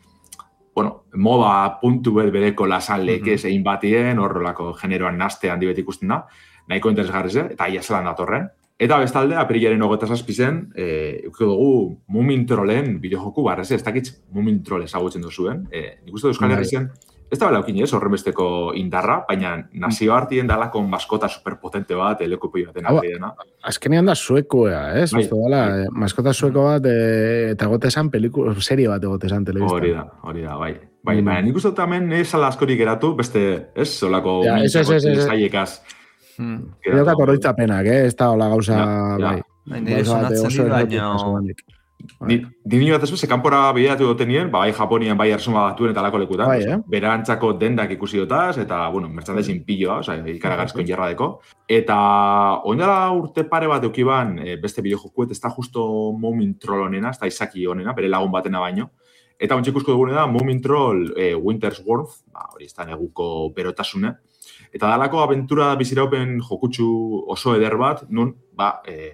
bueno, moda puntu bet bereko lasan lekez egin batien, horrelako generoan naste handi bet ikusten da, nahiko interesgarriz, eta ia zelan datorren. Eta bestalde, apirilaren hogeita zazpi zen, e, eukiko dugu Mumin Trollen bideojoku, barrez, ez dakitz Mumin Troll ezagutzen duzuen. E, nik uste Euskal Herrizen, ez da belaukin ez, horrenbesteko indarra, baina nazio hartien dalako maskota superpotente bat, elekupoi baten harri dena. Azkenean da suekoa, ez? Bai, bai. Maskota sueko bat, e, eta gotezan pelikula, serie bat egotezan telebiztan. Hori da, hori da, bai. Bai, mm. baina nik uste tamen ez ala askorik geratu, beste, ez, solako ja, mintzako Gero ka korroitzapenak, eh? Ez da hola gauza, ja, ja. bai. Nire sonatzen di, baina... Dini bat ez, kanpora behiratu dotenien, bai Japonian, bai Ersuma Batuen eta lako lekutan. Bai, eh? Berantzako dendak ikusi dotaz, eta, bueno, merchandising pilloa, oza, ikaragarrizko injarradeko. Eta, oindala urte pare bat eukiban, beste bideojokuet, ez da justo Mumin Troll honena, ez da izaki honena, bere lagun batena baino. Eta ontsi ikusko dugune da, Mumin Troll e, Winter's Worth, ba, hori ez da neguko berotasune. Eta dalako abentura biziraupen jokutsu oso eder bat, nun, ba, e,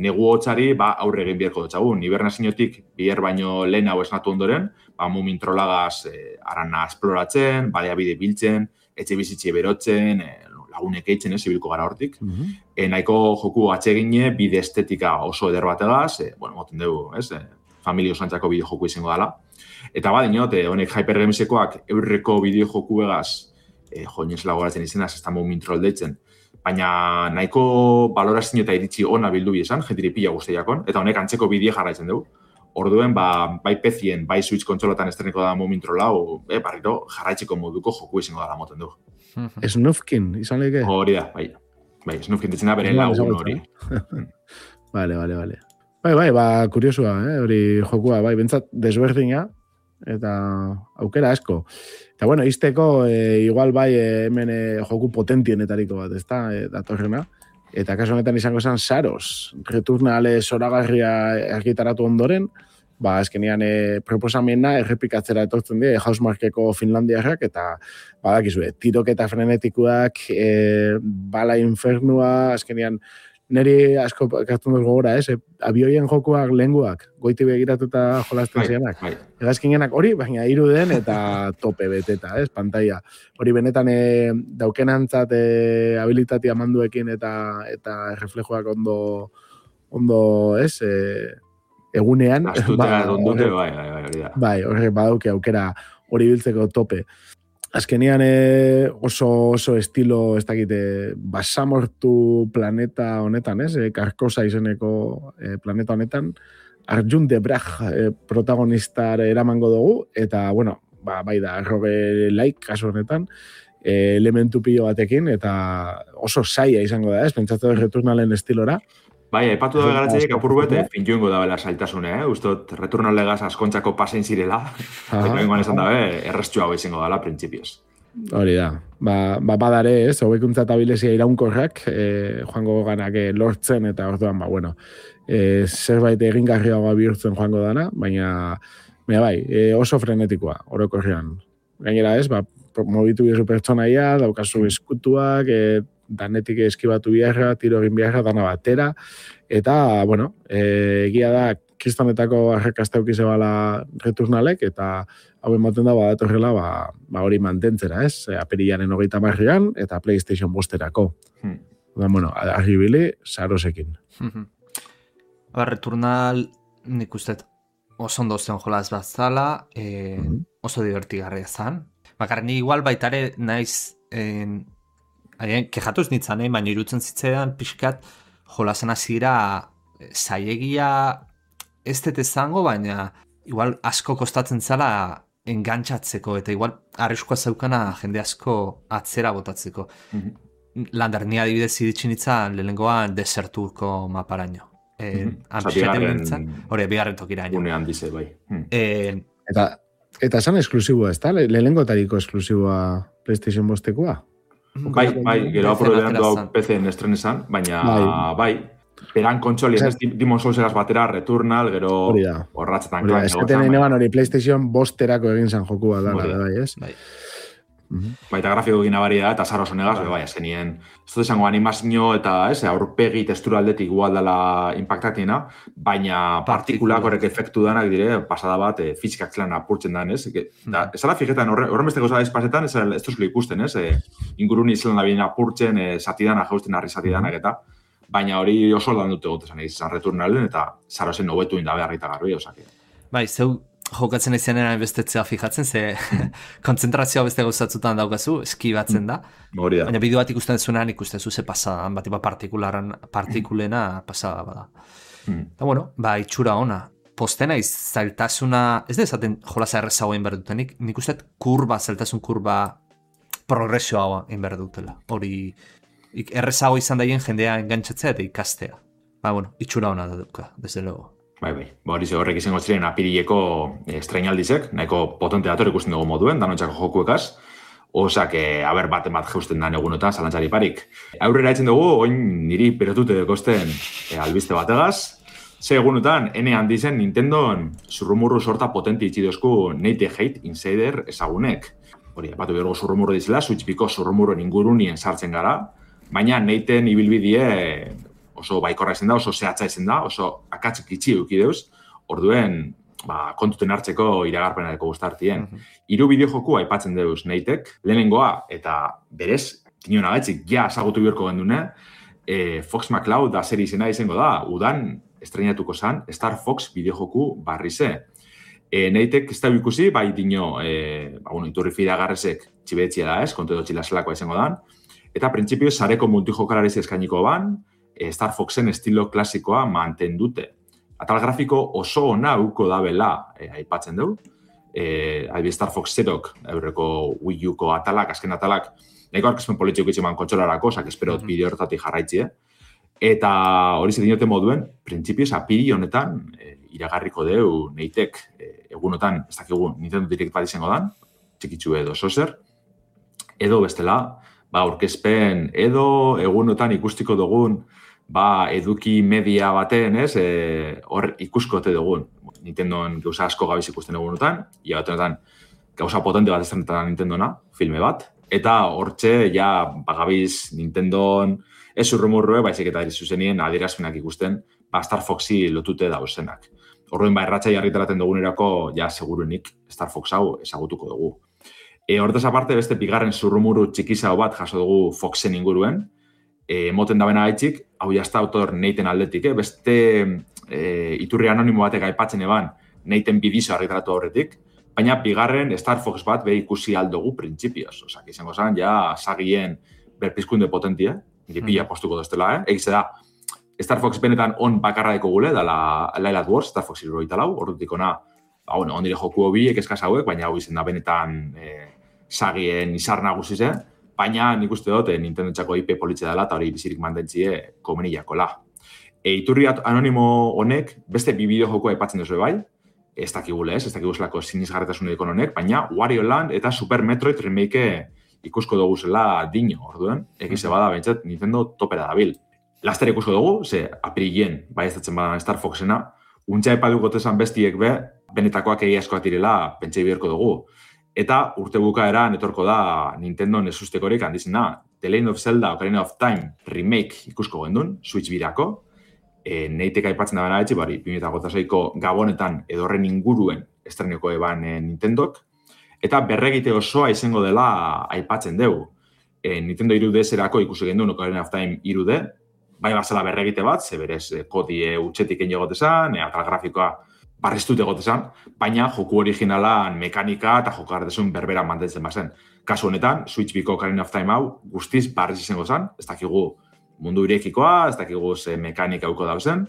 negu hotzari, ba, aurre egin biherko dutxagun. Hibernaziotik biher baino lehen hau esnatu ondoren, ba, Mumin Trollagaz e, arana esploratzen, baliabide biltzen, etxe bizitxe berotzen, e, lagunek eitzen, ez, ibilko gara hortik. Mm-hmm. e, nahiko joku atsegine, bide estetika oso eder bategaz, e, bueno, moten dugu, ez, e, familia osantzako bideo joku izango dela. Eta ba, dinot, e, honek Hypergamesekoak eurreko bideo joku egaz, E, joinez lagoratzen izenaz, ez da Mumin Troll deitzen. Baina nahiko balorazio eta iritsi ona bildu bizan, jentiri pila guztiakon, eta honek antzeko bidea jarraitzen dugu. Orduen, ba, bai P C-en, bai Switch kontsolotan estreneko da Mumin Troll hau, e, barriro jarraitzeko moduko joku izango dara moten dugu. Snufkin, izan leke? Hori da, bai. Bai, Snufkin ditzen da bere lagun hori. Vale, vale, vale. Bai, bai, ba, kuriosua, eh, hori jokua, bai, bentsat desberdina, eta aukera asko. Eta bueno, izteko, e, igual bai e, hemen e, joku potentienetariko bat, ez da, e, datorrena. Eta kaso honetan izango esan Saros, Returnale zoragarria argitaratu ondoren, ba, azkenean e, proposamena errepikatzera etortzen die, Housemarqueko Finlandiarrak, eta badakizue, tiroketa frenetikuak, e, bala infernua, azkenean, neri asko kartun dut gogora, ez? Abioien jokuak lehenguak, goiti begiratuta jolazten zianak. Egazkinenak hori, baina hiru den eta tope beteta, ez? Pantaia. Hori benetan e, daukenantzat e, habilitatea manduekin eta eta reflejoak ondo, ondo ez? E, egunean. Astutea ba, ondute, bai, bai, bai, hori da. Bai, horrek badauke aukera hori biltzeko tope. Azkenian e, oso, oso estilo, ez dakite, basamortu planeta honetan, ez? E, Karkosa izeneko e, planeta honetan, Arjun de Braj e, protagonistar eramango dugu, eta, bueno, ba, bai da, rogue-like kasu honetan, e, elementu pilo batekin, eta oso saia izango da, ez? Pentsatu Returnalen estilora. Bai, aipatu da begaratzeik apur bete, fintuengo da bela saltasune, eh? Ustot, Returnalegaz askontzako pasein zirela, eta bengoan esan dabe, errestu hau izango dela, printzipioz. Hori da, ba, ba badare ez, hobekuntza eta bilezia iraunkorrak, eh, joango ganak eh, lortzen, eta orduan, ba, bueno, eh, zerbait egingarriagoa bihurtzen joango dana, baina, baina bai, eh, oso frenetikoa, orokorrean. Gainera ez, ba, mobitu bizu pertsonaia, daukazu eskutuak, eh, danetik eskibatu biharra, tiro egin biharra, dana batera, eta, bueno, e, egia da, kristonetako arrakazta eukize bala Returnalek, eta hau ematen da, badatorrela, ba, ba hori mantentzera, ez? Apirilaren hogeita marrian, eta PlayStation bosterako. Hmm. Da, bueno, arribili, Sarosekin. Ba, Returnal, nik uste, oso ondo zen jolaz bat zala, e, mm-hmm. oso divertigarria zan. Bakar, ni igual baitare naiz, en, Haien, kejatuz nintzen, eh? Baina irutzen zitzaidan pixkat jolasen hasiera zailegia ez dut izango, baina igual asko kostatzen zala engantzatzeko, eta igual arriskoa zeukana jende asko atzera botatzeko. Mm-hmm. Lander, ni adibidez iritsi nintzen lehenengoan deserturko maparaino. Eh, bigarren, hori, bigarren tokiraino. Unean dize, bai. Hmm. Eh, eta, eta esan esklusiboa, ez da? Lehenengotariko esklusiboa PlayStation bostekoa? Bai, bai, gero apuro behan du P C-en estren esan, baina bai, bai peran kontsoli, ez Demon Souls-egaz batera, Returnal, gero horratzetan. Hori, ez que neban hori PlayStation bosterako egin zan jokua da, bai, ez? Bai. Baita grafiko egin abari da, eta zaro zonegaz, bai, azkenien. Ez dut esango animazio eta, ez, aurpegi testura aldetik igual dela impactatiena, baina partikulak horrek efektu danak dire, pasada bat, e, fizikak zelan apurtzen dan, ez? Ez ala fijetan, horren besteko zara espasetan, ez duzko ikusten, ez? E, inguruni zelan da bien apurtzen, e, satidana, jausten harri satidanak eta, baina hori oso aldan dute gotezan egizan Returnalen, eta zaro zen hobetu indabe harrita garbi, osake. Bai, zeu, jokatzen izanen bestetzea fijatzen, ze konzentrazioa beste gauzatzutan daukazu, eskibatzen da. Hori da. Baina bideo bat ikusten zuenan ikusten ze pasadan, bat iba partikularan, partikulena pasada bada. Mm. Eta bueno, ba, itxura ona. Postena zailtasuna, ez da esaten jolasa errezagoa inberdutenik, nik uste kurba, zailtasun kurba progresioa inberdutela. Hori errezago izan daien jendea engantzatzea eta ikastea. Ba, bueno, itxura ona da duka, desde luego. Bai, bai. Ba, hori ze horrek izango ziren apirileko estrainaldizek, nahiko potente dator ikusten dugu moduen, danotxako jokuekaz. Osak, haber baten bat jeusten dan egunotan, zalantzari parik. Aurrera etzen dugu, oin niri perotute dekosten e, albiste bategaz. Ze egunotan, ene handizen Nintendon zurrumurru sorta potente itxidozku Nate Hate Insider ezagunek. Hori, batu bergo zurrumurru dizela, Switchpiko zurrumurruen ingurunien sartzen gara, baina Nateen ibilbidie oso baikorra izen da, oso zehatza izen da, oso akatzik itxi eduki deuz, orduen ba, kontuten hartzeko iragarpenareko guztartien. Mm-hmm. Hiru bideojoku aipatzen deuz Natek, lehenengoa, eta berez, tinion agaitzik, ja azagutu biorko gendune, e, Fox McCloud da seri izena izango da, udan estrenatuko zan, Star Fox bideojoku barrize. E, Natek ez da ikusi, bai dino, e, ba, bueno, iturri fidagarrezek txibetzia da ez, kontu edo txilaselakoa izango dan, eta printzipio sareko multijokalariz eskainiko ban, Star Foxen estilo klasikoa mantendute. Atal grafiko oso ona uko dabela e, aipatzen dugu. E, Adibidez Star Fox Zerok, aurreko Wii U-ko atalak, azken atalak, nahiko arkezpen politiko itxeman kontsolarako, osak espero mm-hmm. bideo hortatik jarraitzi, Eta hori ze dinote moduen, printzipioz apiri honetan e, iragarriko deu Natek e, egunotan, ez dakigu Nintendo Direct bat izango dan, txikitsu edo sozer, edo bestela, ba, aurkezpen edo egunotan ikustiko dugun ba, eduki media baten, ez, e, hor ikuskote dugun. Nintendoan gauza asko gabiz ikusten egunotan, ia batenetan gauza potente bat estrenetan Nintendona, filme bat, eta hortxe, ja, bagabiz Nintendon ez urrumurrue, baizik eta zuzenien adierazpenak ikusten, ba, Star Foxi lotute dauzenak. Horren, ba, erratxai argitaraten dugunerako, ja, seguruenik Star Fox hau ezagutuko dugu. E, hortaz aparte, beste bigarren zurrumuru txikizao bat jaso dugu Foxen inguruen, e, moten da bena gaitxik, hau jazta autor Naten aldetik, eh? Beste e, iturri anonimo batek aipatzen eban Naten bidizo argitaratu horretik, baina bigarren Star Fox bat be ikusi aldugu printzipioz. Osak, izango zen, ja, sagien berpizkunde potentia, gipila postuko doztela, eh? Egize da, Star Fox benetan on bakarra deko gule, dala Light Wars, Star Fox irroita lau, ordutik ona, ba, bueno, ondire joku hobiek eskaz hauek, baina hau izen da benetan e, sagien izar nagusi zen, baina nik uste dut, Nintendo txako I P politxe dela, eta hori bizirik mantentzie komeniakola. E, iturri anonimo honek, beste bi bideo joku aipatzen duzu bai, ez dakigule ez, ez dakiguzlako sinizgarretasuneko honek, baina Wario Land eta Super Metroid remake ikusko dugu zela dino, orduen, egize bada bentsat Nintendo topera dabil. Laster ikusko dugu, ze apirilien, bai ez datzen badan Star Foxena, untxa epaduko tezan bestiek be, benetakoak egiazkoak direla pentsei biherko dugu. Eta urte bukaeran etorko da Nintendo nesustekorik handizena, The Legend of Zelda Ocarina of Time remake ikusko gendun, Switch birako, e, Natek aipatzen da bena etxe, bari, bi mila hogeita seiko gabonetan edorren inguruen estreneko eban e, Nintendok, eta berregite osoa izango dela aipatzen dugu. E, Nintendo hiru D S-erako ikusi gendun Ocarina of Time hiru D, bai bazela berregite bat, ze berez e, kodie utxetik egin egotezan, e, atal grafikoa barriztut egotezan, baina joku originalan mekanika eta jokardesun berbera mantentzen bazen. Kasu honetan, Switch biko Ocarina of Time hau guztiz barriz izango zen, ez dakigu mundu irekikoa, ez dakigu ze mekanika uko dauzen,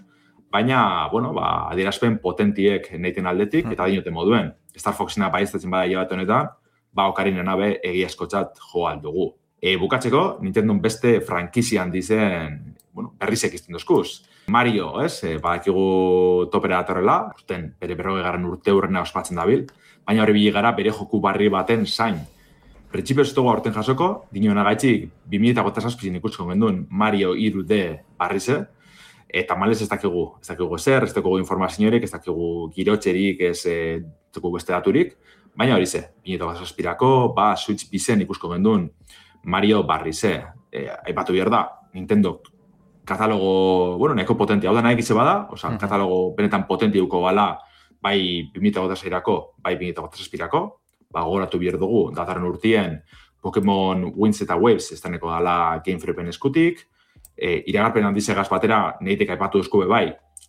baina, bueno, ba, adierazpen potentiek neiten aldetik, eta dinote moduen. Star Foxena baiestatzen bada hilabete honetan, ba, Ocarina nabe egiazkotzat jo aldugu. E, bukatzeko, Nintendo beste frankizian dizen, bueno, berrizek izten dozkuz. Mario, ez, e, badakigu topera datorrela, urten, bere berroge garen urte hurrena ospatzen dabil, baina hori biligara bere joku barri baten zain. Printzipio ez dugu aurten jasoko, dinoena gaitxik, bi mila hogeita zazpizin ikusko genduen Mario hiru D barrize, eta malez ez dakigu, ez dakigu ezer, ez dakigu informaziorik, ez dakigu girotxerik, ez e, dakigu beste daturik, baina hori ze, bi mila hogeita zazpirako, ba, Switch bizen ikusko genduen Mario barrize. E, aipatu behar da, Nintendo katalogo, bueno, nahiko potentia, hau da nahi gitze bada, oza, uh-huh. katalogo benetan potentiuko bala, bai bi mila hogeita zeirako, bai bi mila hogeita zazpirako, ba, gogoratu behar dugu, datorren urtien, Pokemon Winds eta Waves ez deneko dala Game Freaken eskutik, e, iragarpen handizegaz batera, nehitek aipatu eskube bai,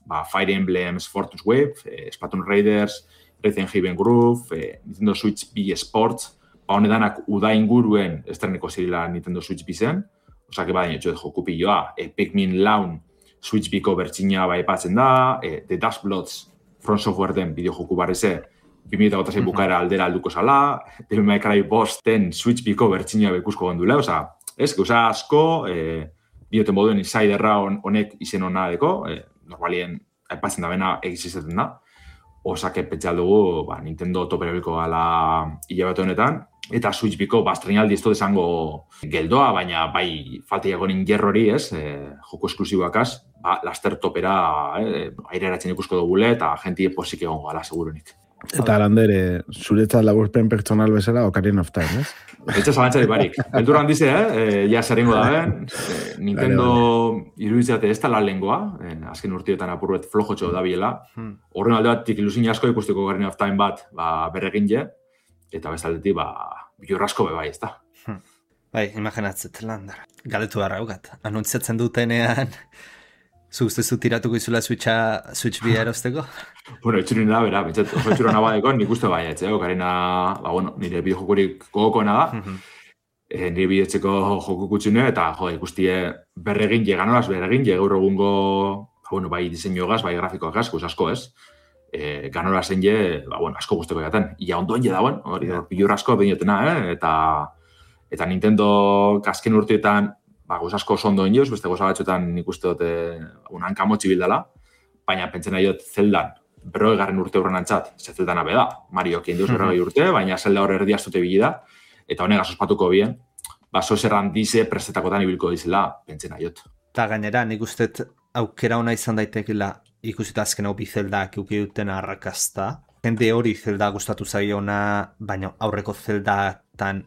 ba, Fire Emblems, Fortune's Wave, e, Splatoon Raiders, Resident Evil Groove, e, Nintendo Switch B Sports, ba, honedanak uda inguruen ez deneko zirila Nintendo Switch B zen, osak eba daino txuet joku pilloa, e, Pikmin Laun Switch B-ko bertxina bai epatzen da, e, The Dust Bloods From Software den bideo joku barrize, bi mila hogeita sei bukaera aldera alduko zala, Devil May Cry bosten Switch B-ko bertxina beikusko gondule, oza, ez, gauza asko, e, bioten moduen insiderra honek izen hona deko, e, normalien aipatzen da bena egizizaten da, osak epetxal dugu, ba, Nintendo toperabiko gala hilabete honetan, eta Switch B-ko bastrenaldi ez dut esango geldoa, baina bai falteiako ningerrori, ez, e, joko esklusiboakaz, ba, laster topera e, aireratzen ikusko dugule, eta jentie posik egongo gala, segurunik. Eta Lander, zuretzat laburpen pertsonal bezala Ocarina of Time, ez? Etxe zalantzari barik. Beldur handize, eh? Ja zerrengo da ben. Eh, Nintendo iruditzate ez da la lengua, eh, azken urtiotan apurret flojotxo da biela. Horren alde batik ilusin asko ikusteko Ocarina of Time bat ba, berregin je, eta bezaldetik ba, bilurrasko bebai, ez da. Bai, imaginatzet, Lander. Galetu barra haukat. Anuntziatzen dutenean, zu ustezu tiratuko izula Switcha, Switch B erosteko? Bueno, etxurin da, bera, betxet, oso etxura nabadeko, nik uste bai, etxe, Ocarina, ba, bueno, nire bideojokurik gogokoena da, uh-huh. e, nire bideotzeko joku kutsune, eta, jo, ikustie berregin, ganoraz berregin, gaur egungo, ba, bueno, bai diseinuagaz, bai grafikoagaz, guz asko, ez? E, ganoraz zen je, ba, bueno, asko guzteko jaten. Ia ondoen je dauen, hori, yeah. Bilur asko beinotena, eh? Eta, eta Nintendo kasken urteetan, ba, guz asko oso ondoen joz, beste goza batxotan nik uste dute, un hankamotxi bildala, baina pentsen nahi dut Zeldan, berroi garren urte horren antzat, ze Zeldana beda, Mario kien deus berroi urte, baina Zelda hor erdi astute bilida, eta honegaz ospatuko bien, ba, soserran dize prestetakotan ibilko dizela, pentsen nahi dut. Eta gainera, nik uste aukera ona izan daitekela, ikusita azken hau bi Zeldak euki duten arrakazta, jende hori Zelda gustatu zaiona, baina aurreko Zeldatan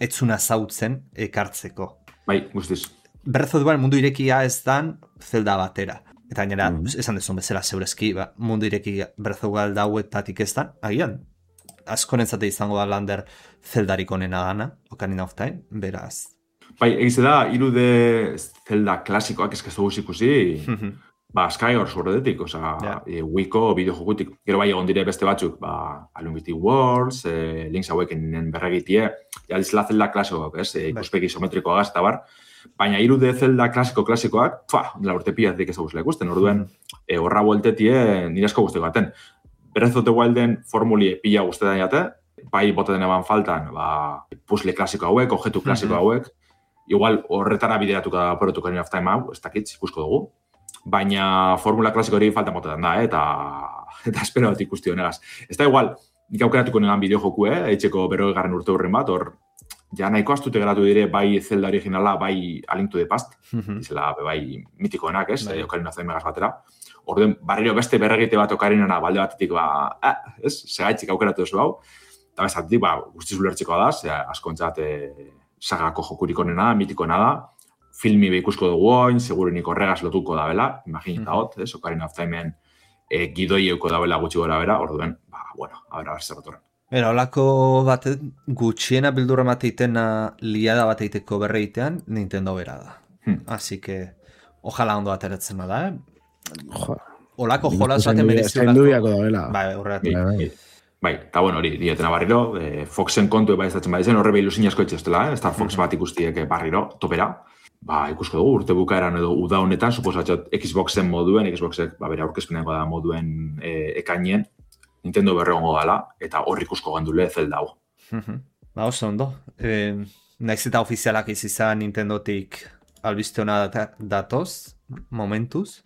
etzuna zautzen ekartzeko. Bai, guztiz. Breath of the Wild mundu irekia ez dan Zelda batera. Eta gainera, mm. esan dezun bezala zeurezki, ba, mundu ireki Breath of the Wild dauetatik ez dan, agian, askorentzate izango da Lander Zeldarik onena dana, Ocarina of Time, beraz. Bai, egize da, hiru de Zelda klasikoak eskaztu guz ikusi, mm-hmm. ba, Skyward Swordetik, oza, yeah. e, Wii-ko bideojokutik, gero bai egon dire beste batzuk, ba, Unlimited Worlds, e, Link's Awakenen berregitie, ja dizela Zelda klasikoak, ez, e, ikuspegi isometrikoa gaz, eta bar, baina hiru de Zelda klasiko-klasikoak, fa, dela urte piatik ez aguzela ikusten, orduen, e, horra bueltetie nire asko guzteko baten. Breath of the Wilden formulie pila guztetan jate, bai botaten eban faltan, ba, puzzle klasiko hauek, objetu klasiko hauek, igual horretara bideratuko da porotu Ocarina of Time hau, ez dakitz, ikusko dugu, baina formula klasiko hori faltan botaten da, eh? eta, eta espero bat ikusti honegaz. Ez da igual, nik aukeratuko negan bideo joku, eh? Eitxeko berroi garren urte hurren bat, hor, ja nahiko astute geratu dire bai Zelda originala, bai A Link to the Past, mm-hmm. izela bai mitikoenak, ez, bai. Ocarina of Time megaz batera. Orden, barriro beste berregite bat Ocarinana balde batetik, ba, eh, ez, segaitzik aukeratu duzu hau, eta bezatetik, ba, guztiz ulertzikoa da, ze askontzat e, sagako jokurik onena, mitikoena da, filmi behikusko dugu oin, segurenik horregaz lotuko da bela, imaginita hot, ez, Ocarina of Timeen e, gidoi euko da bela gutxi gora bera, orduen, ba, bueno, a ber, a ber, zerrotoren. Era, olako bat gutxiena bildurra mateitena liada bateiteko berreitean, Nintendo bera da. Hmm. Así que, ojala ondo ateratzen da, eh? Jo. Olako jolas baten merezi olako. Zaindubiako da, bela. Bai, horregatik. Bai, bai. Bai, eta bueno, hori, diotena barriro, eh, Foxen kontu eba izatzen badizen, horre behilusin asko etxestela, eh? Star Fox bat ikustiek barriro, topera. ba, ikusko dugu, urte bukaeran edo uda honetan, suposatzat Xboxen moduen, Xboxek, ba, bere aurkezpeneko da moduen e, ekainien, Nintendo berregongo gala, eta hor ikusko gendule Zelda hau. Ba, oso ondo. E, naiz eta ofizialak izizan Nintendotik albiste hona datoz, momentuz.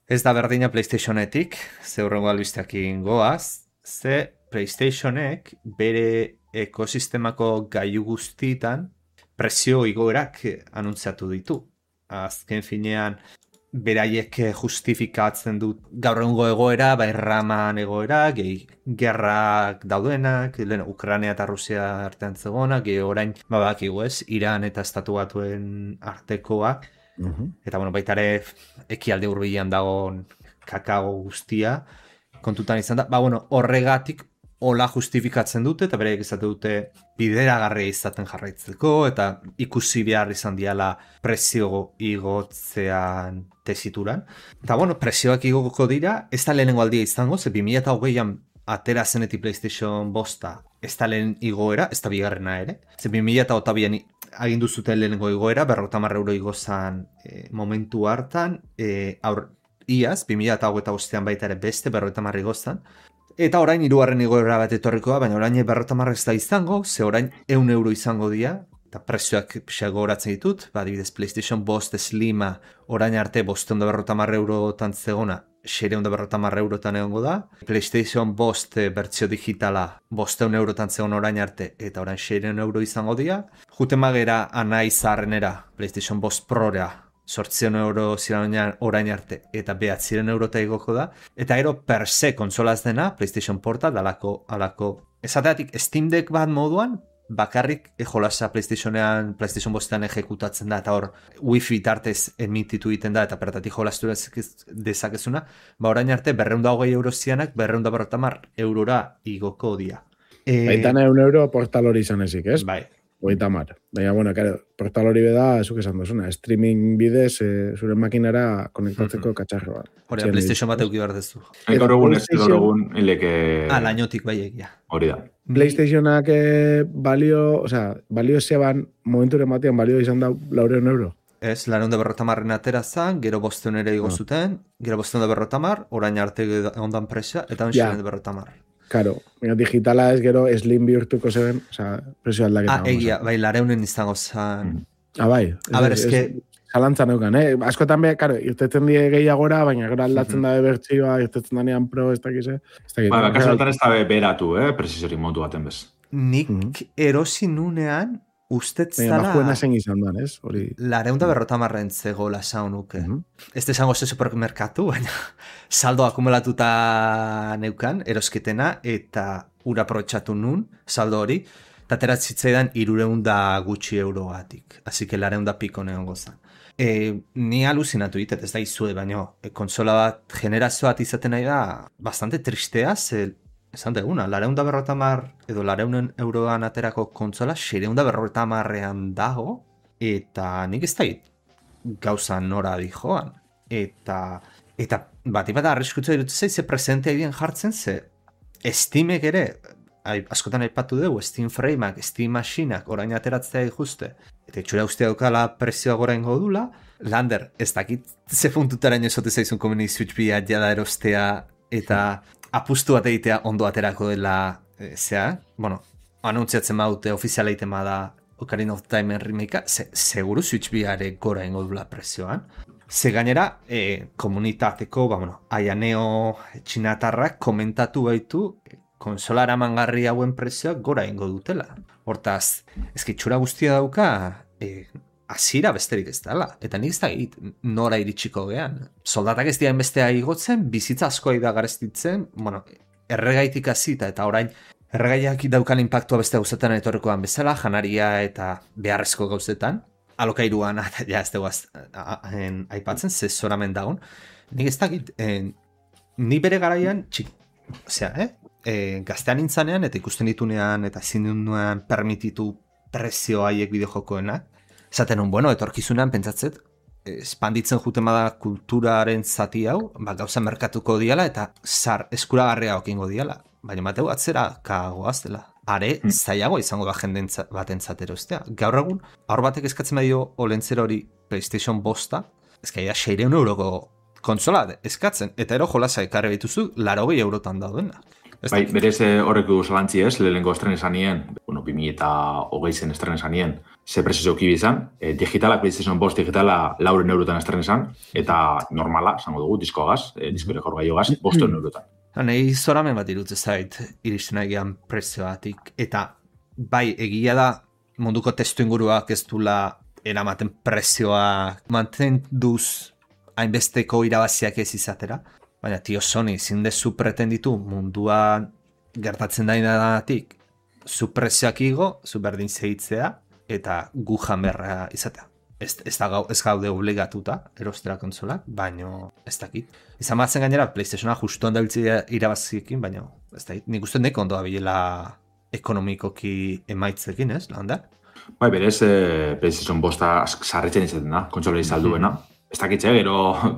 Ez da berdina PlayStationetik, ze horrengo albisteakin goaz, ze PlayStationek bere ekosistemako gailu guztietan prezio igoerak anuntziatu ditu. Azken finean, beraiek justifikatzen dut gaur egungo egoera, bai raman egoera, gehi gerrak daudenak, lehen Ukraina eta Rusia artean zegoenak, gehi orain, babakigu ez, Iran eta Estatu Batuen artekoak, uh-huh. Eta bueno, baita ere ekialde hurbilean dagoen kakao guztia, kontutan izan da, ba bueno, horregatik hola justifikatzen dute, eta beraiek izate dute bideragarria izaten jarraitzeko, eta ikusi behar izan diala prezio igotzean tesituran. Eta bueno, prezioak igoko dira, ez da lehenengo aldia izango, ze bi mila hogeian atera zenetik PlayStation bosta, ez da lehen igoera, ez da bigarrena ere. Ze bi mila hogeian agindu zuten lehenengo igoera, berrogeita hamar euro igozan e, momentu hartan, e, aur, iaz, bi mila hogeita bostean baita ere beste berrogeita hamar igozan, eta orain hirugarren igoera bat etorrikoa, baina orain berrogeita hamar ez da izango, ze orain ehun euro izango dira, eta prezioak pixak gogoratzen ditut, ba, adibidez PlayStation bost Slima orain arte bostehun eta berrogeita hamar eurotan zegona, seiehun eta berrogeita hamar eurotan egongo da, PlayStation bost bertsio digitala bostehun eurotan zegon orain arte, eta orain seiehun euro izango dira, juten magera anai zaharrenera PlayStation bost Prora, zortziehun euro ziren orain arte, eta behatziehun eurota igoko da, eta ero per se konsolaz dena, PlayStation Portal, alako, alako, esateatik Steam Deck bat moduan, bakarrik jolasa PlayStationean, PlayStation bostean ejekutatzen da, eta hor Wi-Fi tartez emititu egiten da, eta pertatik jolastu dezakezuna, ba orain arte berrehun eta hogei euro zianak, berrehun eta berrogeita hamar eurora igoko dia. E... Baitan ehun euro portal hori izan ezik, ez? Bai. Hogeita hamar. Baina, bueno, kare, portal hori beda, ezuk esan duzuna, streaming bidez, e, zure makinara konektatzeko mm-hmm. katxarro bat. Hori, PlayStation bat euki behar dezu. Gaur egun, ez gaur egun, hileke... Ah, lainotik bai egia. Hori da. PlayStationak eh, balio, o sea, balio zeban, momenturen batean balio izan da laureun euro. Ez, lareun da berrota marren atera zan, gero bosteun ere igo zuten, ah. gero bosteun da berrota mar, orain arte ondan presa, eta onxen ja. da berrota mar. Karo, digitala ez gero slim bihurtuko zeben, oza, presio aldaketa. Ah, egia, bai, lareunen izango zan. Mm. Ah, bai. A ber, eske... Zalantzan euken, eh? Askotan be, karo, irtetzen die gehiagora, baina gero aldatzen mm-hmm. da bertsioa, irtetzen danean pro, ez dakize. Ba, kasotan ez da beratu, eh? Presizori montu baten bez. Nik mm-hmm. erosi nunean, ustetzala... Baina, bajuena zen izan duan, ez? Hori... Lareunda berrota marren zegoela saunuke. Mm-hmm. Ez desango ze supermerkatu, baina saldo akumulatuta neukan, erosketena, eta ura aprobetxatu nun, saldo hori, eta teratzitzaidan irureunda gutxi eurogatik. Así que lareunda piko neon gozan. E, ni aluzinatu ditet, ez da izue, baina e, konsola bat, generazio bat izaten nahi da, bastante tristea, ze, esan deguna, lareunda berrota mar, edo lareunen euroan aterako kontsola, seireunda berrota marrean dago, eta nik ez da gauza nora di joan. Eta, eta bat ibat arriskutza dut zei, ze presentea idien jartzen, ze Steamek ere, askotan aipatu dugu, Steam Frameak, Steam Machinak, orain ateratzea ikuste, eta itxura ustea dukala prezioa gora ingo dula, Lander, ez dakit ze puntutaraino esote zaizun komeni Switch bia jada erostea, eta apustu bat egitea ondo aterako dela, e, zea, bueno, anuntziatzen baute, ofiziala egiten bada Ocarina of Time remake, ze, seguru Switch biare gora ingo dula prezioan. Ze gainera, e, komunitateko, ba, bueno, Aianeo txinatarrak komentatu baitu, konsolara mangarri hauen prezioak gora ingo dutela. Hortaz, ezkitxura guztia dauka, e, azira besterik ez dela. Eta nik ez da egit, nora iritsiko gean. Soldatak ez dian bestea igotzen, bizitza askoa da garestitzen, bueno, erregaitik azita, eta orain, erregaiak daukan impactua beste gauzetan etorrikoan bezala, janaria eta beharrezko gauzetan, alokairuan, eta ja ez dugu aipatzen, ze zoramen dagoen. Nik ez da egit, e, ni bere garaian, txik, osea, eh? E, gaztean intzanean eta ikusten ditunean eta zindunean permititu prezio haiek bideojokoenak. Zaten hon, bueno, etorkizunean pentsatzet, espanditzen juten bada kulturaren zati hau, ba, gauza merkatuko diala eta zar eskuragarria okingo diala. Baina mateu atzera kagoaz dela. are zailago izango da jenden batentzat erostea. Gaur egun, aur batek eskatzen badio olentzero hori PlayStation bosta, ezkaia seireun euroko konsola eskatzen, eta ero jolasa ekarri bituzu, larogei eurotan daudena. Bai, berez horrek du zalantzi ez, lehenko estren esan nien, bueno, bi mila eta hogei zen estren esan nien, ze prezio kibi izan, e, digitalak, PlayStation bost digitala lauren eurotan estren esan, eta normala, zango dugu, diskoagaz, e, diskore jorgaiogaz, bosten eurotan. Nei zoramen bat irutze zait, iristen egian prezioatik, eta bai, egia da, munduko testu inguruak ez dula eramaten prezioa mantenduz hainbesteko irabaziak ez izatera, baina tio Sony, zindezu pretenditu munduan gertatzen dainadatik, zu prezioak igo, zu berdin zehitzea, eta gu janberra izatea. Ez, ez, da, ez gaude obligatuta erostera konsolak, baino ez dakit. Izan batzen gainera, PlayStationa justu handabiltzea irabaziekin, baina ez dakit. Nik uste neko ondoa bilela ekonomikoki emaitzekin, ez, landa? Bai, berez, eh, PlayStation bosta sarritzen izaten da, kontsola izalduena. Mm-hmm. Ez dakitxe, gero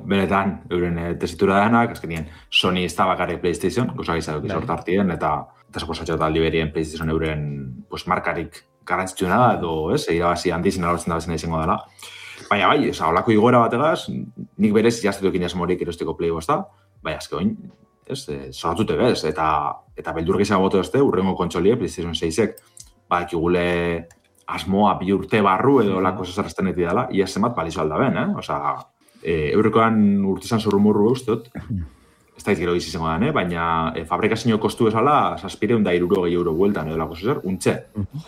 benetan euren e, tesitura danak, azkenien Sony ez da bakarrik PlayStation, gozak izaduk izort hartien, eta eta suposatxo eta liberien PlayStation euren pues, markarik garrantzitsuna da, edo ez, irabazi handiz inalortzen da bezena izango dela. Baina bai, oza, holako igoera bategaz, nik berez jaztetuekin jasmorik erosteko Play bosta, bai, azke oin, ez, e, zoratute bez, eta, eta beldur gehiago bote dozte, urrengo kontsolie, PlayStation seisek, ba, ekigule asmoa bi urte barru edo lako zazarrazten eti dela, ia zemat balizo aldaben, eh? Osa, e, eurrekoan urtizan zurrumurru ustot, ez da izgero giz izango da, eh? Baina e, fabrikazio kostu esala, saspireun da iruro gehi euro bueltan edo lako zazar, untxe.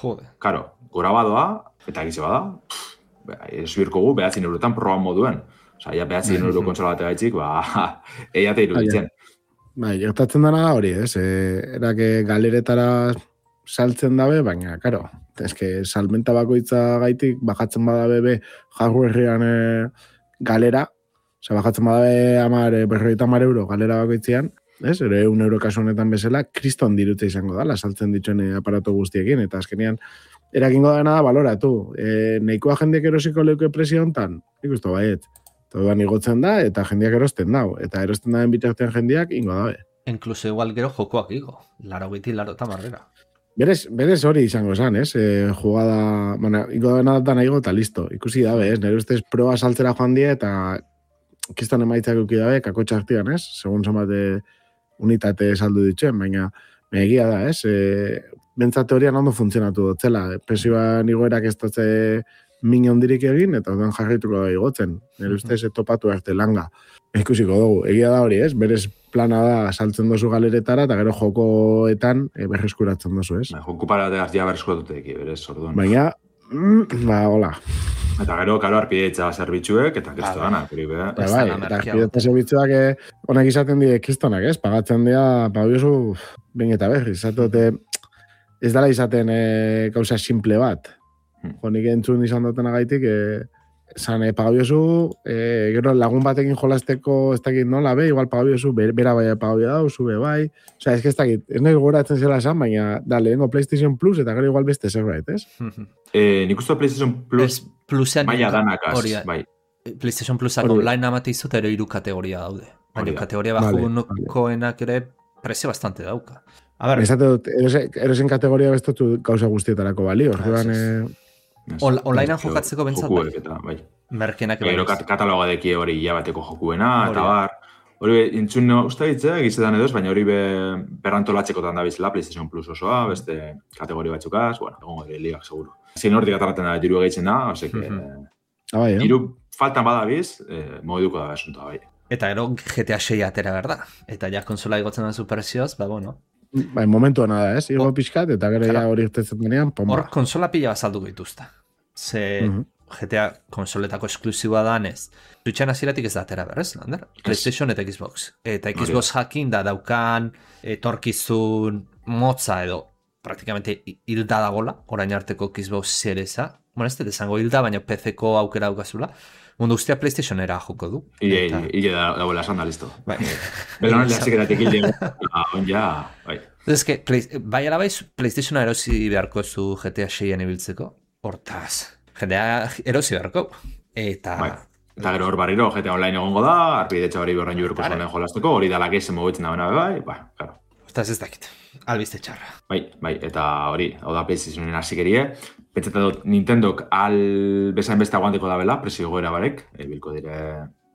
Jode. Karo, gora badoa, eta egize bada, ez birko gu, behatzin eurotan proban moduen. Osa, ja behatzin euro konsola bate gaitxik, ba, eiate iruditzen. Bai, gertatzen dena da hori, ez? E, erake galeretara saltzen dabe, baina, karo, eske salmenta bakoitza gaitik, bajatzen badabe be hardwarean e, galera, oza, bajatzen badabe amar, berroita amar euro galera bakoitzean, ez? Ere un euro kasu honetan bezala, kriston dirutze izango da, saltzen dituen aparato guztiekin, eta azkenean, erakingo dena da baloratu. E, neikoa jendeak erosiko leuke presio hontan, ikustu baiet. Todan igotzen da, eta jendeak erosten dau. Eta erosten daen bitartean jendeak ingo dabe. Inkluso igual gero jokoak igo. Laro biti, laro eta marrera. Berez, berez hori izango esan, ez? E, jugada, bueno, ingo dena da nahi eta listo. Ikusi dabe, ez? Nire ustez proba saltzera joan die, eta kistan emaitzak euki dabe, kakotxa artian, ez? Segun somate unitate saldu dituen, baina egia da, ez? E, Bentsa teorian ondo funtzionatu dotzela. Presioan igoerak ez dutze min hondirik egin, eta orduan jarrituko da igotzen. Nire ustez, topatu arte langa. Ikusiko dugu. Egia da hori, ez? Berez plana da saltzen dozu galeretara, eta gero jokoetan e, berreskuratzen dozu, ez? Ba, joko parategaz ja berreskuratutek, berez, orduan. Baina, mm, ba, hola. Eta gero, karo, arpideitza zerbitzuek, eta kristo dana. Ba, bai, eta arpideitza zerbitzuak honek izaten die kristonak, ez? Pagatzen dira, pagiozu, ben eta berri, izatote, ez dela izaten e, gauza simple bat. Hmm. Jonik entzun izan duten agaitik, e, zan, e, pagabiozu, e, gero lagun batekin jolasteko ez dakit nola, be, igual pagabiozu, bera bai pagabio dau, zube bai. Osa, ez que ez dakit, ez nahi goratzen zela esan, baina, da, lehenko PlayStation Plus, eta gero igual beste zerbait, ez? eh, nik uste PlayStation Plus, maia danakaz, bai. PlayStation Plusak online amate izo, eta ero iru kategoria daude. Baina kategoria bajukoenak ere prezio bastante dauka. A ver, erosen kategoria bestotu gauza guztietarako balio. Orduan, onlinean jokatzeko bentsat bai. Merkenak bai. Gero kataloga deki hori hilabateko jokuena, eta bar. Hori intzun uste ditze, gizetan edoz, baina hori berrantolatzekotan da bizela, PlayStation Plus osoa, beste kategori batzukaz, bueno, egongo dira ligak, seguro. Zin hortik atarraten da, diru egeitzen da, ose que... Diru faltan badabiz, mogiduko da asuntoa, bai. Eta gero G T A sei atera berda. Eta ja konsola igotzen da superzioz, ba, bueno. Ba, momentua nada, ez? Igo pixkat, eta gero ja hori irtetzen denean, pomba. Hor konsola pila bazalduko dituzta. Ze uh-huh. G T A konsoletako esklusiboa danez. Switchan hasieratik ez da atera berrez, lander? PlayStation eta Xbox. Eta Xbox jakin da daukan etorkizun motza edo praktikamente hilda dagola, orain arteko Xbox seriesa. Bueno, ez dut esango hilda, baina P C-ko aukera daukazula. Mundu guztia PlayStationera joko du. Ile, eta... ile da, da bola esan da, listo. Bai. Belonan lehazikeratik ile, on ja, bai. Ez que, play, bai arabai, PlayStationa erosi beharko zu G T A seian ibiltzeko. Hortaz, G T A erosi beharko. Eta... Bai. Eta gero hor barriro, G T A online egongo da, arpidetxa hori berren juurko zonen jolasteko, hori dala gezen mogetzen da bena bai, bai, claro. Eta ez dakit, albiste txarra. Bai, bai, eta hori, hau da PlayStationen hasikerie. Pentsatzen dut Nintendok al bezain beste aguanteko dabela, presio goera barek, e, bilko dire,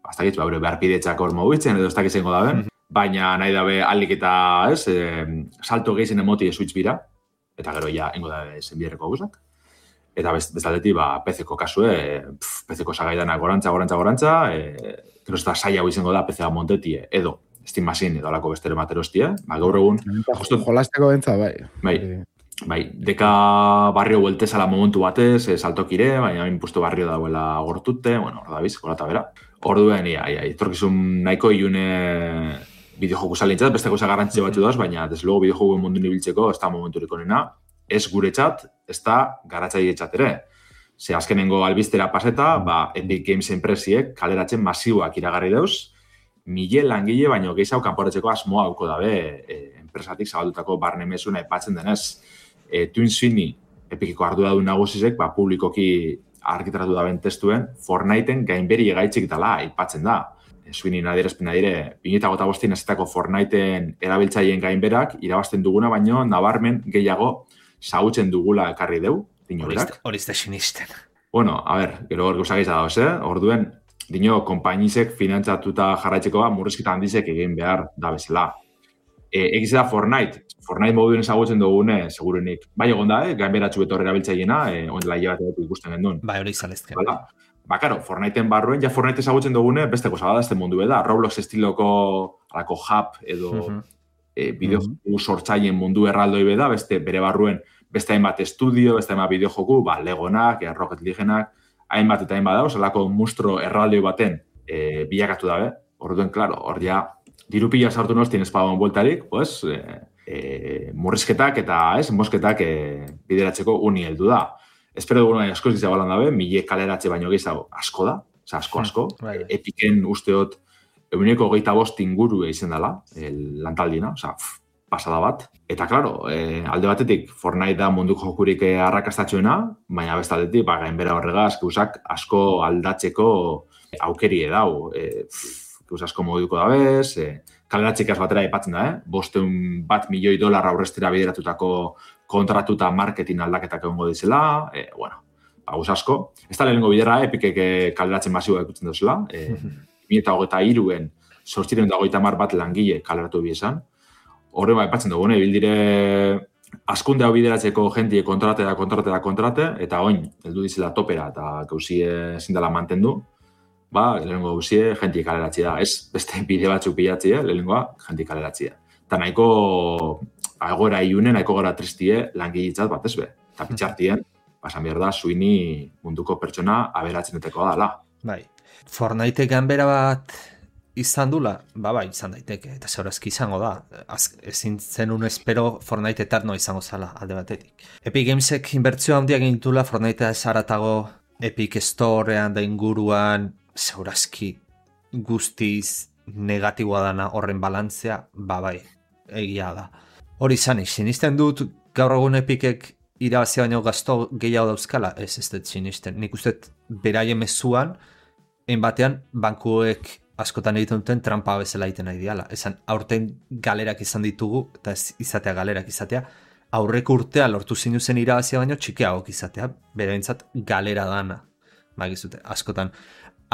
bastakit, ba, behar pidetzak hor mobitzen, edo ez dakit zengo daben, baina nahi dabe alik eta, ez, e, salto gehizen emoti Switch bira, eta gero ja, ingo dabe zenbierreko guzak. Eta best, bestaldetik, ba, P C ko kasue, pf, P C ko sagaidanak gorantza, gorantza, gorantza, e, gero ez da saia izango da P C a montetie, edo Steam Machine edo alako bestere materostia, ba, gaur egun... Justo jolasteko bentza, bai. Bai, bai, deka barrio bueltezala momentu batez, e, saltokire, baina hain puesto barrio dauela gortute, bueno, hor da biz, kolata bera. Orduen, ia, ia, etorkizun nahiko ilune bideojoku salintzat, beste gauza garrantzia batzu dauz, baina desde luego bideojoku mundu nibiltzeko ez da momenturik onena, ez gure txat, ez da garatzaile txat ere. Ze azkenengo albistera paseta, ba, Epic Games enpresiek kaleratzen masiboak iragarri dauz, mile langile baino gehiago kanporatzeko asmoa hauko dabe e, enpresatik zabaldutako barne mesuna aipatzen denez. E, Twin Sweeney, Epiceko arduradun nagusizek, ba, publikoki argitaratu daben testuen, Fortniteen gainberi egaitzik dela aipatzen da. E, Sweeney nadierazpena dire, bi mila hogeita bostin ezetako Fortniteen erabiltzaileen gainberak irabazten duguna, baino nabarmen gehiago zagutzen dugula ekarri deu, dino berak. Hori ez da sinisten. Bueno, a ber, gero hor gauzak izan dauz, eh? Orduen, dino, konpainizek finantzatuta jarraitzeko ba, murrizketa handizek egin behar da bezala. E, egiz da Fortnite. Fortnite moduen ezagutzen dugune, segurenik. Bai egon da, eh? Gainberatxu beto horrela biltzaiena, eh? Ondela hile bat ikusten gendun. Bai, hori izalezke. Ba, ba, karo, Fortniteen barruen, ja Fortnite ezagutzen dugune, beste goza bada, este mundu da. Roblox estiloko, alako hub, edo uh -huh. e, bideojoku uh -huh. sortzaien mundu erraldoi beda, beste bere barruen, beste hainbat estudio, beste hainbat bideojoku, ba, Legonak, e, Rocket Leaguenak, hainbat eta hainbat dauz, alako mustro erraldoi baten e, bilakatu dabe. Orduen, klaro, hor ja, dirupila sartu nostien espagoen bueltarik, pues, e, e, murrizketak eta, ez, mosketak e, bideratzeko uni heldu da. Espero dugu nahi asko izan balan dabe, mile kaleratze baino gehiago asko da, oza, asko, asko. Right. Epiken usteot, eguneko gehieta bost inguru egin dela, lantaldina, oza, pasada bat. Eta, klaro, e, alde batetik, Fortnite da munduko jokurik arrakastatxoena, baina bestaldetik, ba, gainbera horregaz, guzak asko aldatzeko aukerie dau. E, Guz asko moduko dabez, e, kaleratxikaz batera aipatzen da, eh? Bosteun bat milioi dolar aurrestera bideratutako kontratuta marketing aldaketak egongo dizela, e, bueno, ba, guz asko. Ez da lehenengo bidera, Epicek kaleratzen masiboa ikutzen duzela, e, bi mila hogeita hiruen sortziren da hogeita hamar bat langile kaleratu biezan. Horre ba, aipatzen dugune, bildire askunde hau bideratzeko jentie kontrate da, kontrate da, kontrate, eta oin, heldu dizela topera eta gauzie zindala mantendu, ba, lehenengo gauzie jentie kaleratzea da. Ez beste bide batzuk pilatzea, lehenengoa jentie kaleratzea. Eta nahiko agora iune, nahiko gara tristie langilitzat bat ez be. Eta pitxartien, pasan behar da, Sweeney munduko pertsona aberatzeneteko dala. Bai. Fortnite ganbera bat izan dula, ba, bai, izan daiteke, eta zeurazki izango da. Az, ezin zenun espero Fortnite eterno izango zala, alde batetik. Epic Gamesek inbertzio handiak egintula, Fortnite ez haratago Epic Storean da inguruan, zeurazki guztiz negatiboa dana horren balantzea, ba, bai, egia da. Hori izanik, sinisten dut gaur egun Epicek irabazia baino gazto gehiago dauzkala, ez ez dut sinisten. Nik uste beraien mezuan, hein batean, bankuek askotan egiten duten trampa bezala egiten nahi diala. Esan, aurten galerak izan ditugu, eta ez izatea galerak izatea, aurreko urtea lortu zinuzen irabazia baino txikiagok izatea, beraintzat galera dana. Bagizute, askotan,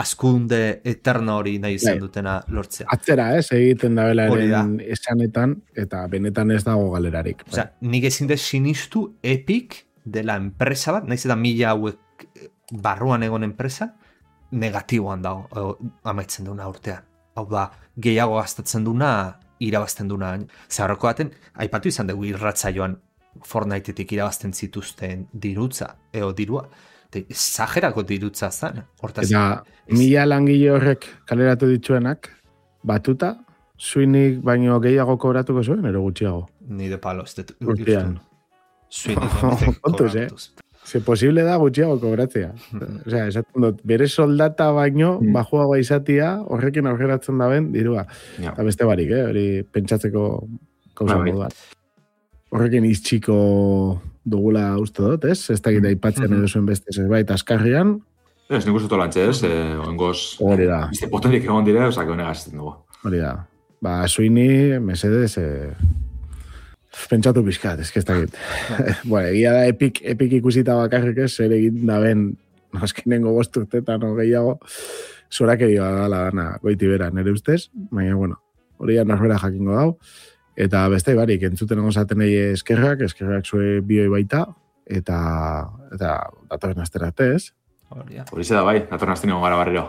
askunde eterno hori nahi izan dutena lortzea. Atzera, ez, egiten da belaren esanetan, eta benetan ez dago galerarik. Osea, nik ezin dez sinistu Epic dela enpresa bat, nahiz eta mila hauek barruan egon enpresa, negatiboan dago amaitzen duna urtean. Hau da, gehiago gastatzen duna, irabazten duna. Zaharroko baten, aipatu izan dugu irratzaioan Fortniteetik irabazten zituzten dirutza, eo dirua. Zagerako dirutza zen. Eta mila langile horrek kaleratu dituenak, batuta, Sweeney baino gehiago kobratuko zuen, ero gutxiago? Ni de palo, ez dut. Urtean. Sweeney kobratuz. Ze posible da gutxiago kobratzea. Osea, esaten dut, bere soldata baino, mm. bajuagoa izatia, horrekin aurreratzen da ben, dirua. Ja. Eta beste barik, eh? Hori pentsatzeko kausa moduan. Horrekin iztxiko dugula uste dut, ez? Ez dakit aipatzen mm-hmm. edo zuen beste zerbait askarrian. Ez, nik uste tolatxe, ez? Eh, Oengoz, hori da. Bizte potentik egon dire, osak honegaz ez dugu. Hori da. Ba, Sweeney, mesedez, eh, Pentsatu pixkat, ez que ez dakit. Bueno, egia da epik, epik ikusita bakarrik ez, zer egin da ben, azkenengo bost urtetan o gehiago, zorakeria dala dana goiti bera, nire ustez, baina, bueno, hori ja norbera jakingo dau, eta beste barik, entzuten egozaten egi eskerrak, eskerrak zue bioi baita, eta, eta datorren asterate ez. Hori da bai, datorren asterate gara barriro.